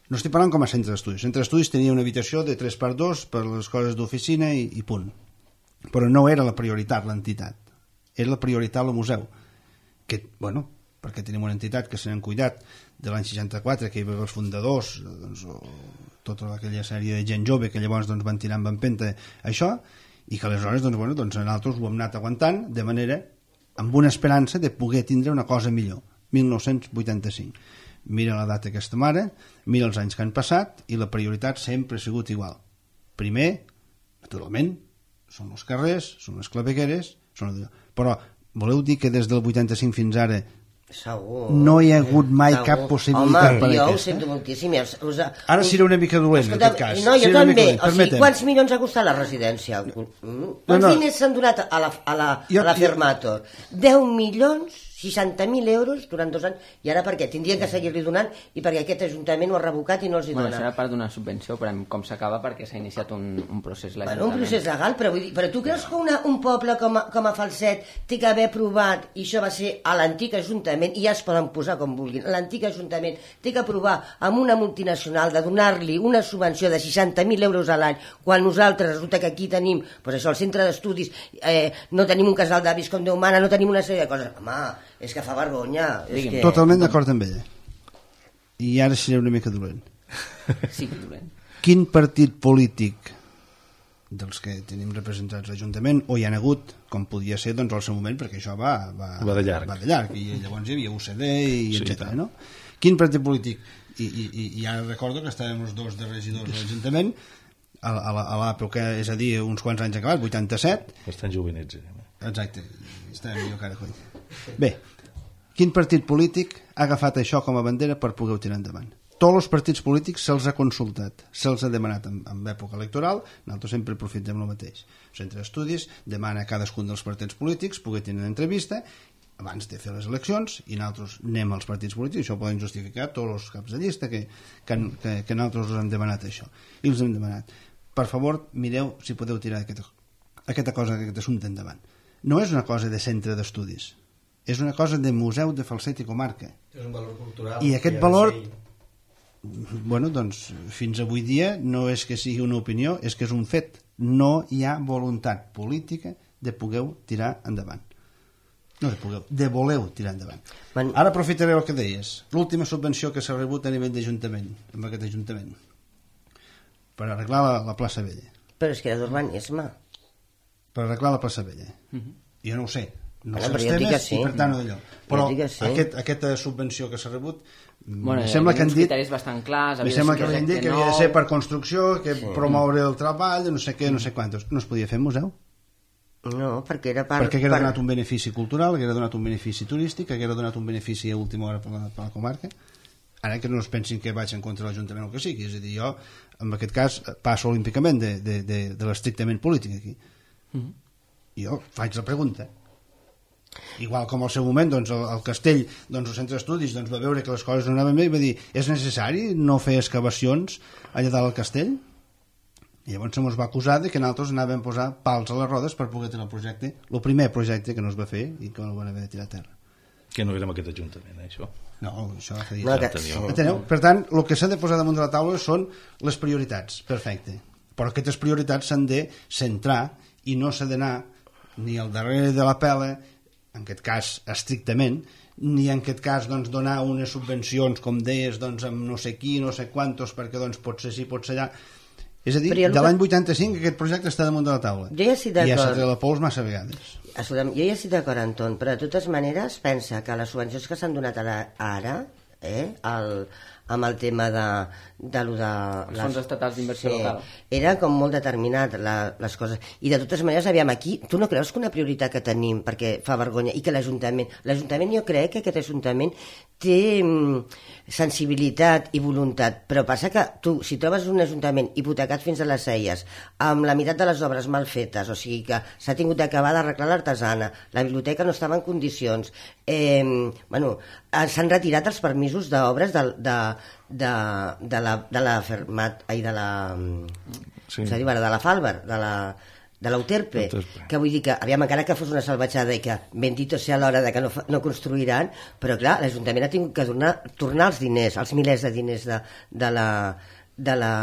No estic parlant com a centre d'estudis. El centre d'estudis tenia una habitació de tres per dos per les coses d'oficina i, i punt. Però no era la prioritat l'entitat. Era la prioritat el museu. Que, bueno, perquè tenim una entitat que se n'han cuidat de l'any seixanta-quatre, que hi havia els fundadors, doncs, o tota aquella sèrie de gent jove que llavors doncs, van tirar amb empenta això, i que aleshores doncs, bueno, doncs, nosaltres ho hem anat aguantant de manera, amb una esperança de poder tindre una cosa millor. mil nou-cents vuitanta-cinc. Mira la data que estem ara, mira els anys que han passat i la prioritat sempre ha sigut igual. Primer, naturalment, són els carrers, són les clavegueres, són... però voleu dir que des del vuitanta-cinc fins ara Segur. No hi ha hagut mai Segur. cap possibilitat Home, per jo aquesta? Ho sento moltíssim. Us, us, Ara serà una mica dolent, escolta, en aquest cas. No, jo serà també. O sigui, Permetem. quants milions ha costat la residència? Mm? Quants no. diners s'han donat a la, a la, Jo- a la Fermator? deu milions, seixanta mil euros durant dos anys, i ara per què? Tindrien que seguir-li donant i perquè aquest ajuntament ho ha revocat i no els hi Bueno, dona. això era part d'una subvenció, però com s'acaba perquè s'ha iniciat un, un procés legal. Bueno, un procés legal, però, vull dir, però tu creus que una, un poble com a, com a Falset té que haver aprovat, i això va ser a l'antic Ajuntament, i ja es poden posar com vulguin, l'antic Ajuntament té que aprovar amb una multinacional de donar-li una subvenció de seixanta mil euros a l'any, quan nosaltres resulta que aquí tenim, doncs això, el centre d'estudis, eh, no tenim un casal d'avis com Déu mana, no tenim una sèrie de coses. Home, és que fa vergonya. És que... Totalment d'acord amb ella. I ara seré una mica dolent. Sí, dolent. Quin partit polític dels que tenim representats a l'Ajuntament, o hi ha hagut, com podia ser doncs, al seu moment, perquè això va, va, va de llarg, va de llarg i llavors hi havia U C D i sí, etcètera. No? Quin partit polític, i, i, i ara recordo que estàvem els dos de regidors a l'Ajuntament a, a, a l'època, és a dir, uns quants anys acabat, vuitanta-set. Bastant jovenets. Eh? Exacte, estàvem jo cara coi. Bé, quin partit polític ha agafat això com a bandera per poder tirar endavant? Tots els partits polítics se'ls ha consultat, se'ls ha demanat en, en època electoral, nosaltres sempre aprofitem el mateix. El centre d'estudis demana a cadascun dels partits polítics poder tenir una entrevista abans de fer les eleccions, i nosaltres anem als partits polítics, això ho poden justificar tots els caps de llista que, que, que, que nosaltres us hem demanat això. I els hem demanat, per favor, mireu si podeu tirar aquesta, aquesta cosa, aquest assumpte endavant. No és una cosa de centre d'estudis, és una cosa de museu de Falset i comarca. És un valor cultural. I aquest valor, bueno, doncs, fins avui dia no és que sigui una opinió, és que és un fet. No hi ha voluntat política de poder tirar endavant. No de poder, de voleu tirar endavant. Man... Ara aprofitaré el que deies. L'última subvenció que s'ha rebut a nivell d'Ajuntament, amb aquest Ajuntament, per arreglar la, la plaça Vella. Però és que era d'urbanisme. Per arreglar la plaça Vella. Uh-huh. Jo no ho sé. No Bueno, sé els temes sí. I per tant no d'allò. Però sí. aquest, aquesta subvenció que s'ha rebut, bueno, sembla que han dit... criteris bastant clars. Me sembla que han dit que havia de ser per construcció, que sí. promoure el treball, no sé què, no sé quantos. No es podia fer museu? No, perquè era per... Perquè haguera per... donat un benefici cultural, haguera donat un benefici turístic, haguera donat un benefici a última hora per la, per la comarca. Ara que no es pensin que vaig en contra de l'Ajuntament o que sigui. És a dir, jo, en aquest cas, passo olímpicament de, de, de, de l'estrictament polític aquí. Mm-hmm. Jo faig la pregunta. Igual com al seu moment doncs, el, el castell, doncs, el centre d'estudis doncs, va veure que les coses no anaven bé i va dir, és necessari no fer excavacions allà dalt al castell? I llavors se'ns va acusar de que nosaltres anàvem a posar pals a les rodes per poder tenir el projecte, el primer projecte que no es va fer i que no van haver de tirar a terra. Que no érem aquest Ajuntament, eh, això? No, això fa dir. No, que... Enteneu? Per tant, el que s'ha de posar damunt de la taula són les prioritats, perfecte. Però aquestes prioritats s'han de centrar i no s'ha d'anar ni al darrere de la pela, en aquest cas estrictament, ni en aquest cas doncs, donar unes subvencions, com deies, doncs, amb no sé qui, no sé quantos, perquè doncs, pot ser sí, pot ser allà. És a dir, de l'any vuitanta-cinc aquest projecte està damunt de la taula. Jo ja estic d'acord. I ja s'ha tret la pols massa vegades. Jo ja estic d'acord, Anton, però de totes maneres pensa que les subvencions que s'han donat ara, ara eh, el, amb el tema de, de, lo de els fons estatals d'inversió sí, local, era com molt determinat la, les coses, i de totes maneres aviam aquí, tu no creus que una prioritat que tenim perquè fa vergonya, i que l'Ajuntament l'Ajuntament jo crec que aquest Ajuntament té mm, sensibilitat i voluntat, però passa que tu si trobes un Ajuntament hipotecat fins a les celles amb la meitat de les obres mal fetes, o sigui que s'ha tingut d'acabar d'arreglar l'artesana, la biblioteca no estava en condicions, eh, bueno, s'han retirat els permisos d'obres de, de, de, de la de la Fermat, ai, de la sí. de la Falber, de la de l'Euterpe, que vull dir que, aviam, encara que fos una salvatjada i que bendito sea l'hora de que no, no construiran, però clar, l'Ajuntament ha tingut que donar, tornar els diners, els milers de diners de, de la de la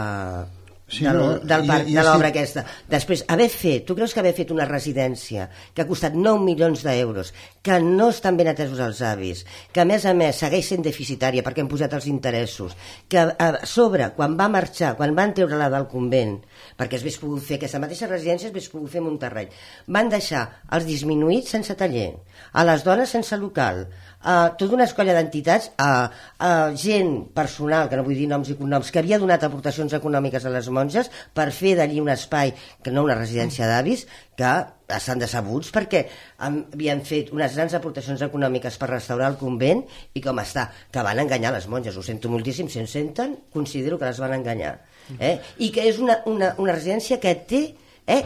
Sí, del, no, del parc, i, i de l'obra estic... aquesta. Després, haver fet, tu creus que haver fet una residència que ha costat nou milions d'euros, que no estan ben atesos els avis, que a més a més segueix sent deficitària perquè han posat els interessos, que a sobre, quan va marxar, quan van treure-la del convent, perquè es hagués pogut fer aquesta mateixa residència, es hagués pogut fer Monterrey, van deixar els disminuïts sense taller, a les dones sense local, a tota una escolla d'entitats, a, a gent personal, que no vull dir noms i cognoms, que havia donat aportacions econòmiques a les monges per fer d'allí un espai, que no una residència d'avis, que estan decebuts perquè havien fet unes grans aportacions econòmiques per restaurar el convent i com està, que van enganyar les monges. Ho sento moltíssim, si en senten, considero que les van enganyar. Eh? I que és una, una, una residència que té... Eh,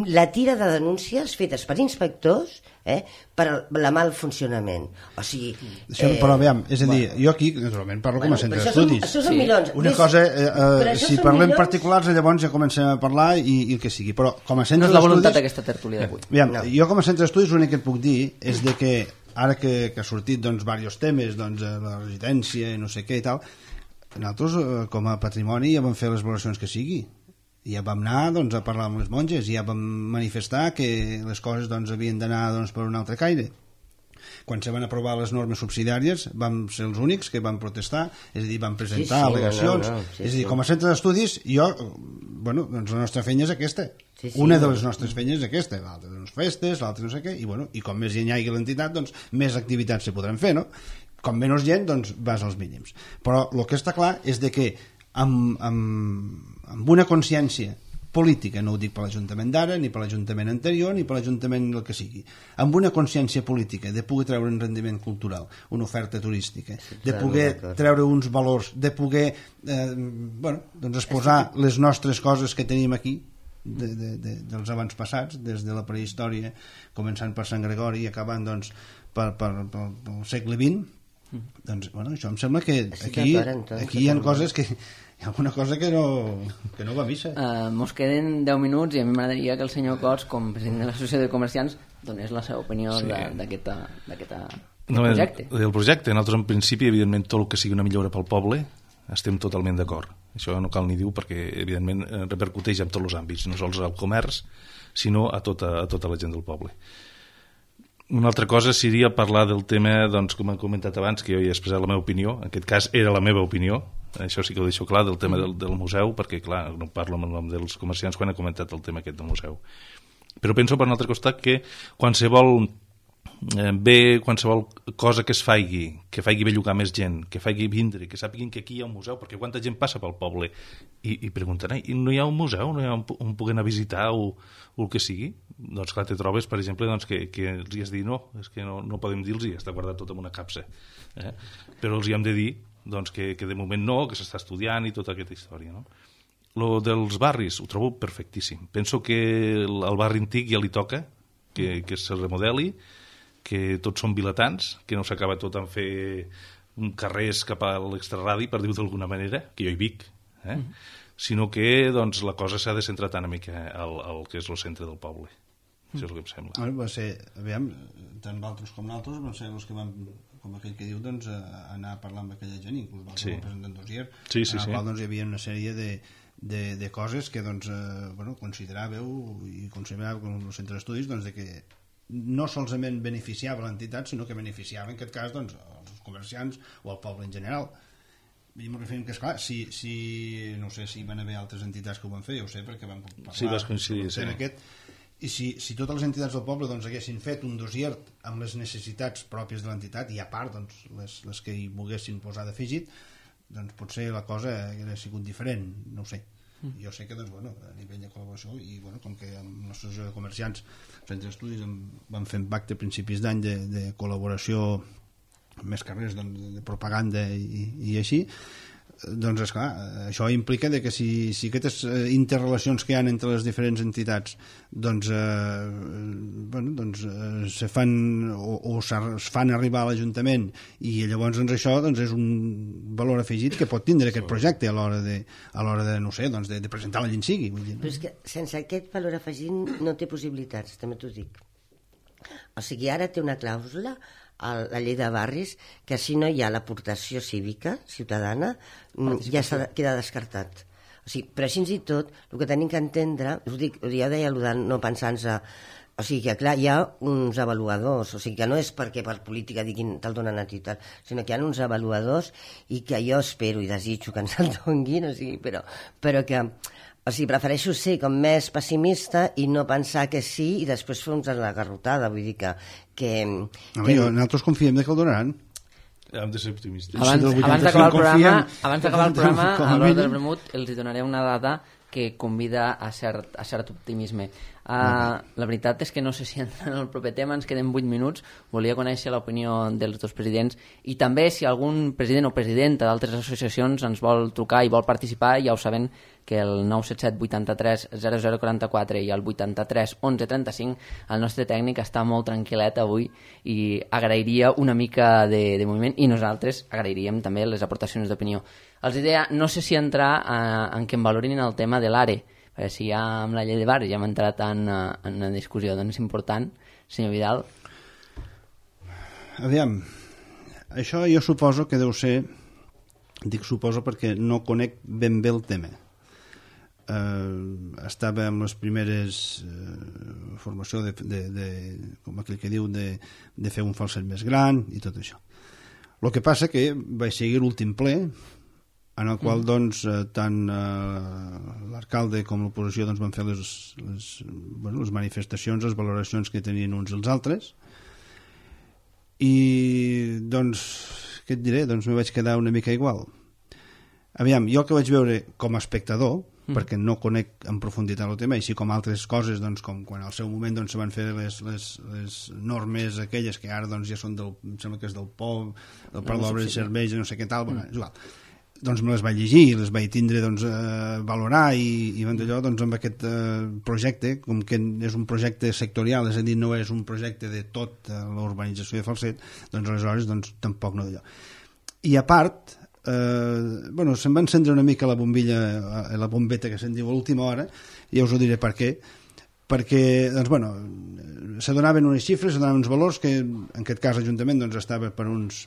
la tira de denúncies fetes per inspectors eh, per el mal funcionament. O sigui... Això, eh, però, aviam, és a dir, bueno, jo aquí, naturalment, parlo bueno, com a centre d'estudis. Això són sí. milions. Una Des... cosa, eh, eh, si parlem milions... particulars, llavors ja comencem a parlar i, i el que sigui. Però com a centre no és la d'estudis... voluntat d'aquesta tertúlia d'avui. Aviam, no. Jo com a centre d'estudis l'únic que et puc dir és de que ara que, que ha sortit doncs, diversos temes, doncs, la residència i no sé què i tal, nosaltres com a patrimoni ja vam fer les valoracions que sigui. Ja vam anar doncs, a parlar amb les monges i ja vam manifestar que les coses doncs, havien d'anar doncs, per un altre caire. Quan se van aprovar les normes subsidiàries vam ser els únics que van protestar, és a dir, van presentar sí, sí, al·legacions. No, no, no, sí, és a dir, com a centre d'estudis, jo, bueno, doncs la nostra feina és aquesta. Sí, sí, Una de les nostres feines és aquesta, l'altra doncs festes, l'altra no sé què, i, bueno, i com més gent hi hagi l'entitat, doncs més activitats se podran fer, no? Com menys gent, doncs vas als mínims. Però el que està clar és de que amb, amb, amb una consciència política, no ho dic per l'Ajuntament d'ara, ni per l'Ajuntament anterior, ni per l'Ajuntament el que sigui, amb una consciència política de poder treure un rendiment cultural, una oferta turística, de poder treure uns valors, de poder eh, bueno, doncs exposar les nostres coses que tenim aquí, de, de, de, dels abans passats, des de la prehistòria, començant per Sant Gregori i acabant doncs, per, per, per, per el segle vint, doncs, bueno, això em sembla que aquí, aquí hi ha coses que hi ha alguna cosa que no, que no va a missa. Uh, mos queden deu minuts i a mi m'agradaria que el senyor Cots, com president de l'Associació de Comerciants, donés la seva opinió sí. d'aquest no, projecte. El, el projecte, nosaltres en principi, evidentment, tot el que sigui una millora pel poble, estem totalment d'acord. Això no cal ni dir perquè, evidentment, repercuteix en tots els àmbits, no sols al comerç, sinó a tota, a tota la gent del poble. Una altra cosa seria parlar del tema, doncs, com he comentat abans, que jo ja he expressat la meva opinió, en aquest cas era la meva opinió, això sí que ho deixo clar, del tema del, del museu, perquè, clar, no parlo en el nom dels comerciants quan he comentat el tema aquest del museu. Però penso, per un altre costat, que qualsevol eh, bé, qualsevol cosa que es faci, que faci bellugar més gent, que faci vindre, que sàpiguen que aquí hi ha un museu, perquè quanta gent passa pel poble i, i pregunten, i no hi ha un museu, no hi ha un, un poder anar a visitar o, o el que sigui? Doncs clar, te trobes, per exemple, doncs, que, que els hi has dit no, és que no, no podem dir-los, està guardat tot en una capsa. Eh? Però els hi hem de dir doncs, que, que de moment no, que s'està estudiant i tota aquesta història. No? Lo dels barris ho trobo perfectíssim. Penso que el, el barri antic ja li toca que, que se remodeli, que tots són vilatans, que no s'acaba tot en fer un carrers cap a l'extraradi, per dir-ho d'alguna manera, que jo hi vic, eh? Mm. sinó que doncs, la cosa s'ha de centrar tant una mica al, al que és el centre del poble. Mm. Això és el que em sembla. Bueno, va ser, aviam, tant vosaltres com nosaltres van ser els que van, com aquell que diu, doncs, anar a parlar amb aquella gent, inclús vosaltres sí. presentant un dossier, sí, sí, en el sí. qual doncs, hi havia una sèrie de, de, de coses que doncs, eh, bueno, consideràveu i consideràveu com el centre d'estudis doncs, de que no solament beneficiava l'entitat, sinó que beneficiava en aquest cas doncs, els comerciants o el poble en general. I m'ho referim que, esclar, si, si, no sé si van haver altres entitats que ho van fer, jo ho sé, perquè vam parlar sí, vas coincidir, sí. aquest, i si, si totes les entitats del poble doncs, haguessin fet un dossier amb les necessitats pròpies de l'entitat i a part doncs, les, les que hi volguessin posar d'afegit, doncs potser la cosa hauria sigut diferent, no ho sé. Mm. Jo sé que doncs, bueno, a nivell de col·laboració i bueno, com que amb l'associació de comerciants centre d'estudis vam fer un pacte a principis d'any de, de col·laboració amb més carrers doncs, de propaganda i, i així, doncs esclar, això implica de que si, si aquestes interrelacions que hi ha entre les diferents entitats doncs, eh, bueno, doncs eh, se fan o, o es fan arribar a l'Ajuntament i llavors doncs, això doncs, és un valor afegit que pot tindre aquest projecte a l'hora de, a l'hora de, no sé, doncs, de, de presentar la gent sigui. Vull dir, no? Però és que sense aquest valor afegit no té possibilitats, també t'ho dic. O sigui, ara té una clàusula a la llei de barris que si no hi ha l'aportació cívica ciutadana ja s'ha, queda descartat. O sigui, però així i tot el que tenim que entendre, us dic, ja deia de no pensar-nos, o sigui que clar, hi ha uns avaluadors, o sigui que no és perquè per política diguin te'l donen a ti tal, sinó que hi ha uns avaluadors i que jo espero i desitjo que ens el donguin, o sigui, però, però que o sigui, prefereixo ser com més pessimista i no pensar que sí i després fer uns a la garrotada, vull dir que... que, no, que... Jo, nosaltres confiem que el donaran. Hem de ser optimistes. Abans, abans d'acabar el programa, abans d'acabar el programa a l'hora del vermut, els donaré una dada que convida a cert, a cert optimisme. Uh, la veritat és que no sé si entra en el proper tema, ens queden vuit minuts, volia conèixer l'opinió dels dos presidents i també si algun president o presidenta d'altres associacions ens vol trucar i vol participar, ja ho saben que el nou set set vuitanta-tres zero zero quaranta-quatre i el vuitanta-tres onze trenta-cinc, el nostre tècnic està molt tranquil·let avui i agrairia una mica de, de moviment, i nosaltres agrairíem també les aportacions d'opinió. Els idea, no sé si entrar a, en que em valorin el tema de l'A R E, perquè si ja amb la llei de barri ja hem entrat en, en una discussió doncs important, senyor Vidal. Aviam, això jo suposo que deu ser, dic suposo perquè no conec ben bé el tema. Uh, estava amb les primeres uh, formació de, de, de, com aquell que diu, de, de fer un falset més gran i tot això. El que passa que vaig seguir l'últim ple, en el qual doncs, tant uh, l'alcalde com l'oposició doncs, van fer les, les, bueno, les manifestacions, les valoracions que tenien uns i els altres, i doncs, què et diré? Doncs me vaig quedar una mica igual. Aviam, jo el que vaig veure com a espectador, mm. perquè no conec en profunditat el tema, així com altres coses, doncs, com quan al seu moment doncs, se van fer les, les, les normes aquelles que ara doncs, ja són del, em sembla que és del P O B, del Parc d'Obres i Serveis, no sé què tal, mm. bueno, és igual. Doncs me les vaig llegir, les vaig tindre doncs, a valorar i, i d'allò doncs, amb aquest eh, projecte, com que és un projecte sectorial, és a dir, no és un projecte de tot eh, l'urbanització de Falset, doncs aleshores doncs, tampoc no d'allò. I a part, eh, bueno, se'm va encendre una mica la bombilla, la bombeta que se'n diu a l'última hora, i ja us ho diré per què, perquè doncs, bueno, se donaven unes xifres, se donaven uns valors que en aquest cas l'Ajuntament doncs, estava per uns,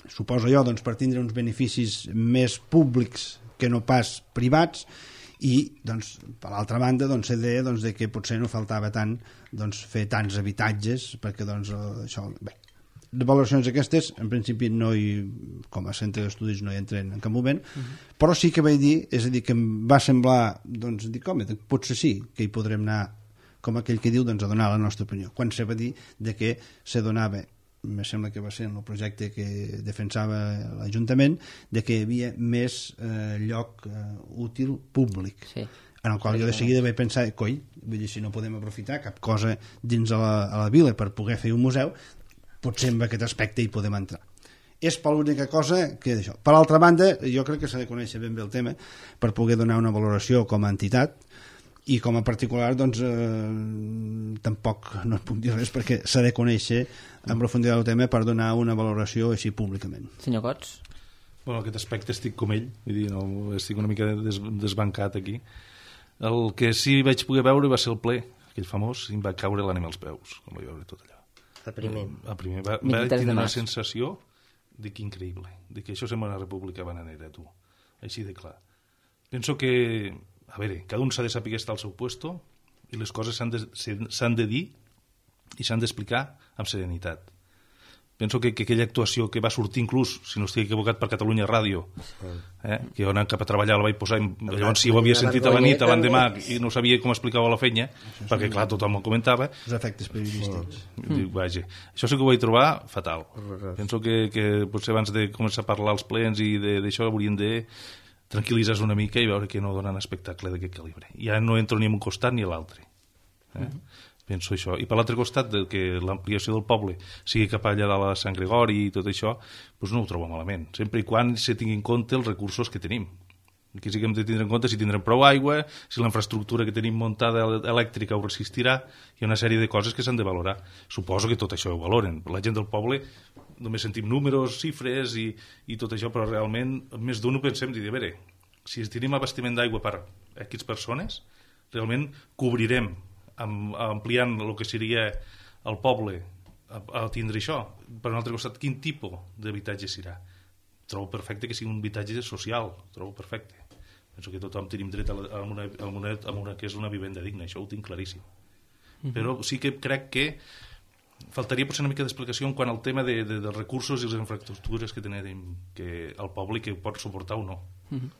suposo jo, doncs, per tindre uns beneficis més públics que no pas privats, i doncs, per l'altra banda doncs, se deia doncs, de que potser no faltava tant doncs, fer tants habitatges perquè doncs, això, bé, de valoracions aquestes en principi no hi, com a centre d'estudis no hi entren en cap moment, uh-huh. però sí que vaig dir, és a dir, que em va semblar doncs, dic, home, potser sí que hi podrem anar, com aquell que diu, doncs, a donar la nostra opinió, quan se va dir de que se donava, me sembla que va ser en el projecte que defensava l'Ajuntament, de que hi havia més eh, lloc eh, útil públic, sí. en el qual jo de seguida vaig pensar, coi, vull dir, si no podem aprofitar cap cosa dins a la, a la vila per poder fer un museu, potser en aquest aspecte hi podem entrar. És per l'única cosa que d'això. Per l'altra banda, jo crec que s'ha de conèixer ben bé el tema per poder donar una valoració com a entitat, i com a particular doncs eh, tampoc no et puc dir res perquè s'ha de conèixer en profunditat el tema per donar una valoració així públicament. Senyor Cots? Bueno, aquest aspecte estic com ell, vull dir, no, estic una mica des, desbancat aquí. El que sí vaig poder veure va ser el ple, aquell famós, i em va caure l'ànima als peus, com vaig veure tot allò. El primer. El primer va, va tenir una sensació de que increïble, de que això sembla una república bananera, tu, així de clar. Penso que a veure, cada un s'ha de saber estar al seu puesto i les coses s'han de, s'han de dir i s'han d'explicar amb serenitat. Penso que, que aquella actuació que va sortir inclús, si no estic equivocat, per Catalunya Ràdio, eh, que jo anant cap a treballar la vaig posar, i llavors si ho havia sentit a la nit, a l'endemà, i no sabia com explicava la feina, perquè clar, tothom ho comentava. Els efectes periodístics. Dic, vaja, això sí que ho vaig trobar fatal. Penso que, que potser abans de començar a parlar als plens i d'això hauríem de tranquil·litzar una mica i veure que no donen espectacle d'aquest calibre. Ja no entro ni en un costat ni a l'altre. Eh? Mm-hmm. Penso això. I per l'altre costat, de que l'ampliació del poble sigui cap allà de la Sant Gregori i tot això, doncs no ho trobo malament. Sempre i quan se tingui en compte els recursos que tenim. Aquí sí que hem de tindre en compte si tindrem prou aigua, si la infraestructura que tenim muntada elèctrica ho resistirà, hi ha una sèrie de coses que s'han de valorar. Suposo que tot això ho valoren. La gent del poble només sentim números, xifres i, i tot això, però realment més d'un ho pensem i dir, a veure, si tenim abastiment d'aigua per a aquestes persones, realment cobrirem amb, ampliant el que seria el poble a, a tindre això. Per un altre costat, quin tipus d'habitatge serà? Trobo perfecte que sigui un habitatge social, trobo perfecte. Penso que tothom tenim dret a, la, a, una, a, una, a una que és una vivenda digna, això ho tinc claríssim. Mm-hmm. Però sí que crec que faltaria potser una mica d'explicació en quant al tema de, de, dels recursos i les infraestructures que tenim que el poble que pot suportar o no. Mm-hmm.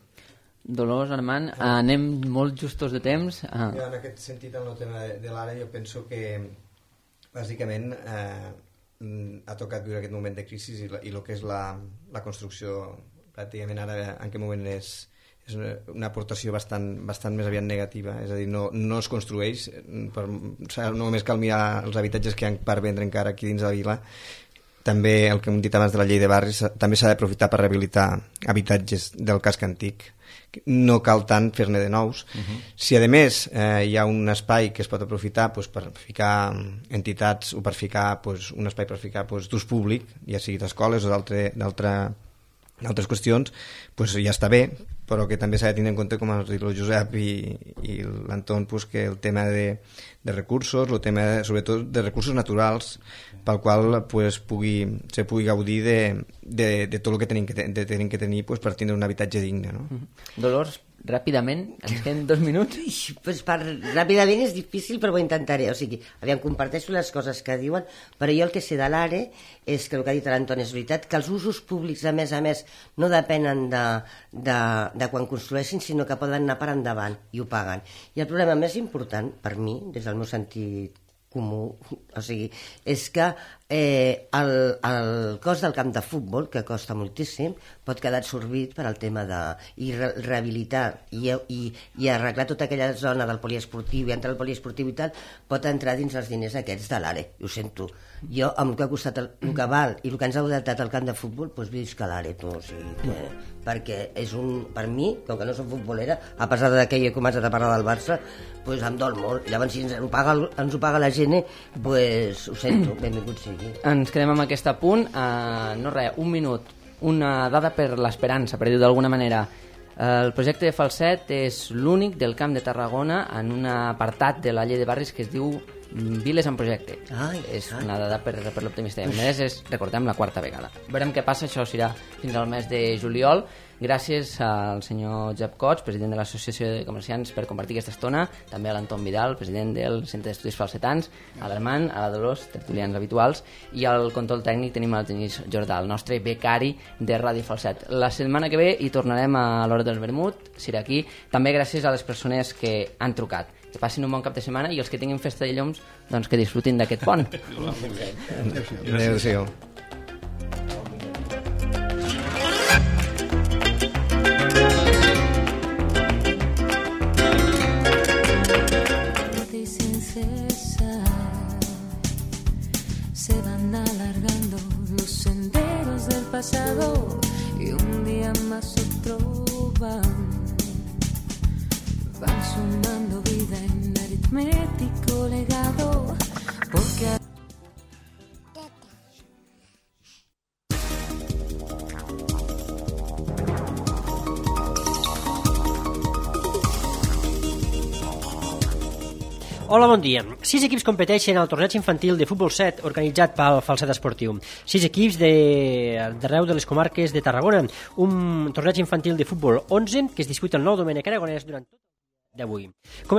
Dolors, Armand, eh, anem molt justos de temps. Ah. Jo, en aquest sentit, en el tema de, de l'ara, jo penso que bàsicament eh, ha tocat viure aquest moment de crisi i, la, i el que és la, la construcció pràcticament ara en aquest moment és, és una, una aportació bastant, bastant més aviat negativa, és a dir, no, no es construeix, per, no només cal mirar els habitatges que hi ha per vendre encara aquí dins de la vila, també el que hem dit abans de la llei de barris, també s'ha d'aprofitar per rehabilitar habitatges del casc antic, no cal tant fer-ne de nous. Uh-huh. Si a més eh, hi ha un espai que es pot aprofitar pues, per ficar entitats o per ficar pues, un espai per ficar pues, d'ús públic, ja sigui d'escoles o d'altres qüestions, pues, ja està bé, però que també s'ha de tenir en compte, com ha dit el Josep i, i l'Anton, pues, que el tema de, de recursos, el tema sobretot de recursos naturals, pel qual pues, pugui, se pugui gaudir de, de, de tot el que tenim que, de, tenim que tenir pues, per tindre un habitatge digne. No? Mm-hmm. Dolors, ràpidament, ens queden dos minuts. Pues per, ràpidament és difícil, però ho intentaré. O sigui, aviam, comparteixo les coses que diuen, però jo el que sé de l'A R E és que el que ha dit l'Anton és veritat, que els usos públics, a més a més, no depenen de, de, de quan construeixin, sinó que poden anar per endavant i ho paguen. I el problema més important, per mi, des del meu sentit comú, o sigui, és que eh, el, el cost del camp de futbol, que costa moltíssim, pot quedar absorbit per al tema de i re rehabilitar i, i, i arreglar tota aquella zona del poliesportiu i entrar al poliesportiu i tal, pot entrar dins els diners aquests de l'A R E, ho sento. Jo, amb el que ha costat el, el que val i el que ens ha adaptat al camp de futbol, doncs visc a l'A R E, tu, o sigui, que, perquè és un, per mi, com que no soc futbolera, a pesar de que he començat a parlar del Barça, doncs em dol molt. Llavors, si ens ho paga, ens ho paga la gent, doncs ho sento, benvingut sigui. Ens quedem amb aquest apunt. Uh, no res, un minut. Una dada per l'esperança, per dir-ho d'alguna manera. El projecte de Falset és l'únic del Camp de Tarragona en un apartat de la llei de barris que es diu Viles en projecte. Ai, és ai. una dada per, per l'optimista. A més, és, recordem, la quarta vegada. Veurem què passa, això serà fins al mes de juliol. Gràcies al senyor Jep Cots, president de l'Associació de Comerciants, per compartir aquesta estona, també a l'Anton Vidal, president del Centre d'Estudis Falsetans, a l'Armand, a la Dolors, tertulians habituals, i al control tècnic tenim el Genís Jordà, el nostre becari de Ràdio Falset. La setmana que ve hi tornarem a l'hora del vermut, serà aquí, també gràcies a les persones que han trucat. Que passin un bon cap de setmana i els que tinguin festa de llums, doncs que disfrutin d'aquest pont. Adéu-siau. Se van alargando los senderos del pasado y un día más otro van van sumando vida en aritmético legado porque Hola, bon dia. Sis equips competeixen al torneig infantil de futbol set organitzat pel Falset Esportiu. Sis equips d'arreu de les comarques de Tarragona. Un torneig infantil de futbol onze que es disputa el nou Domènec Aragonès durant tot el dia d'avui. Com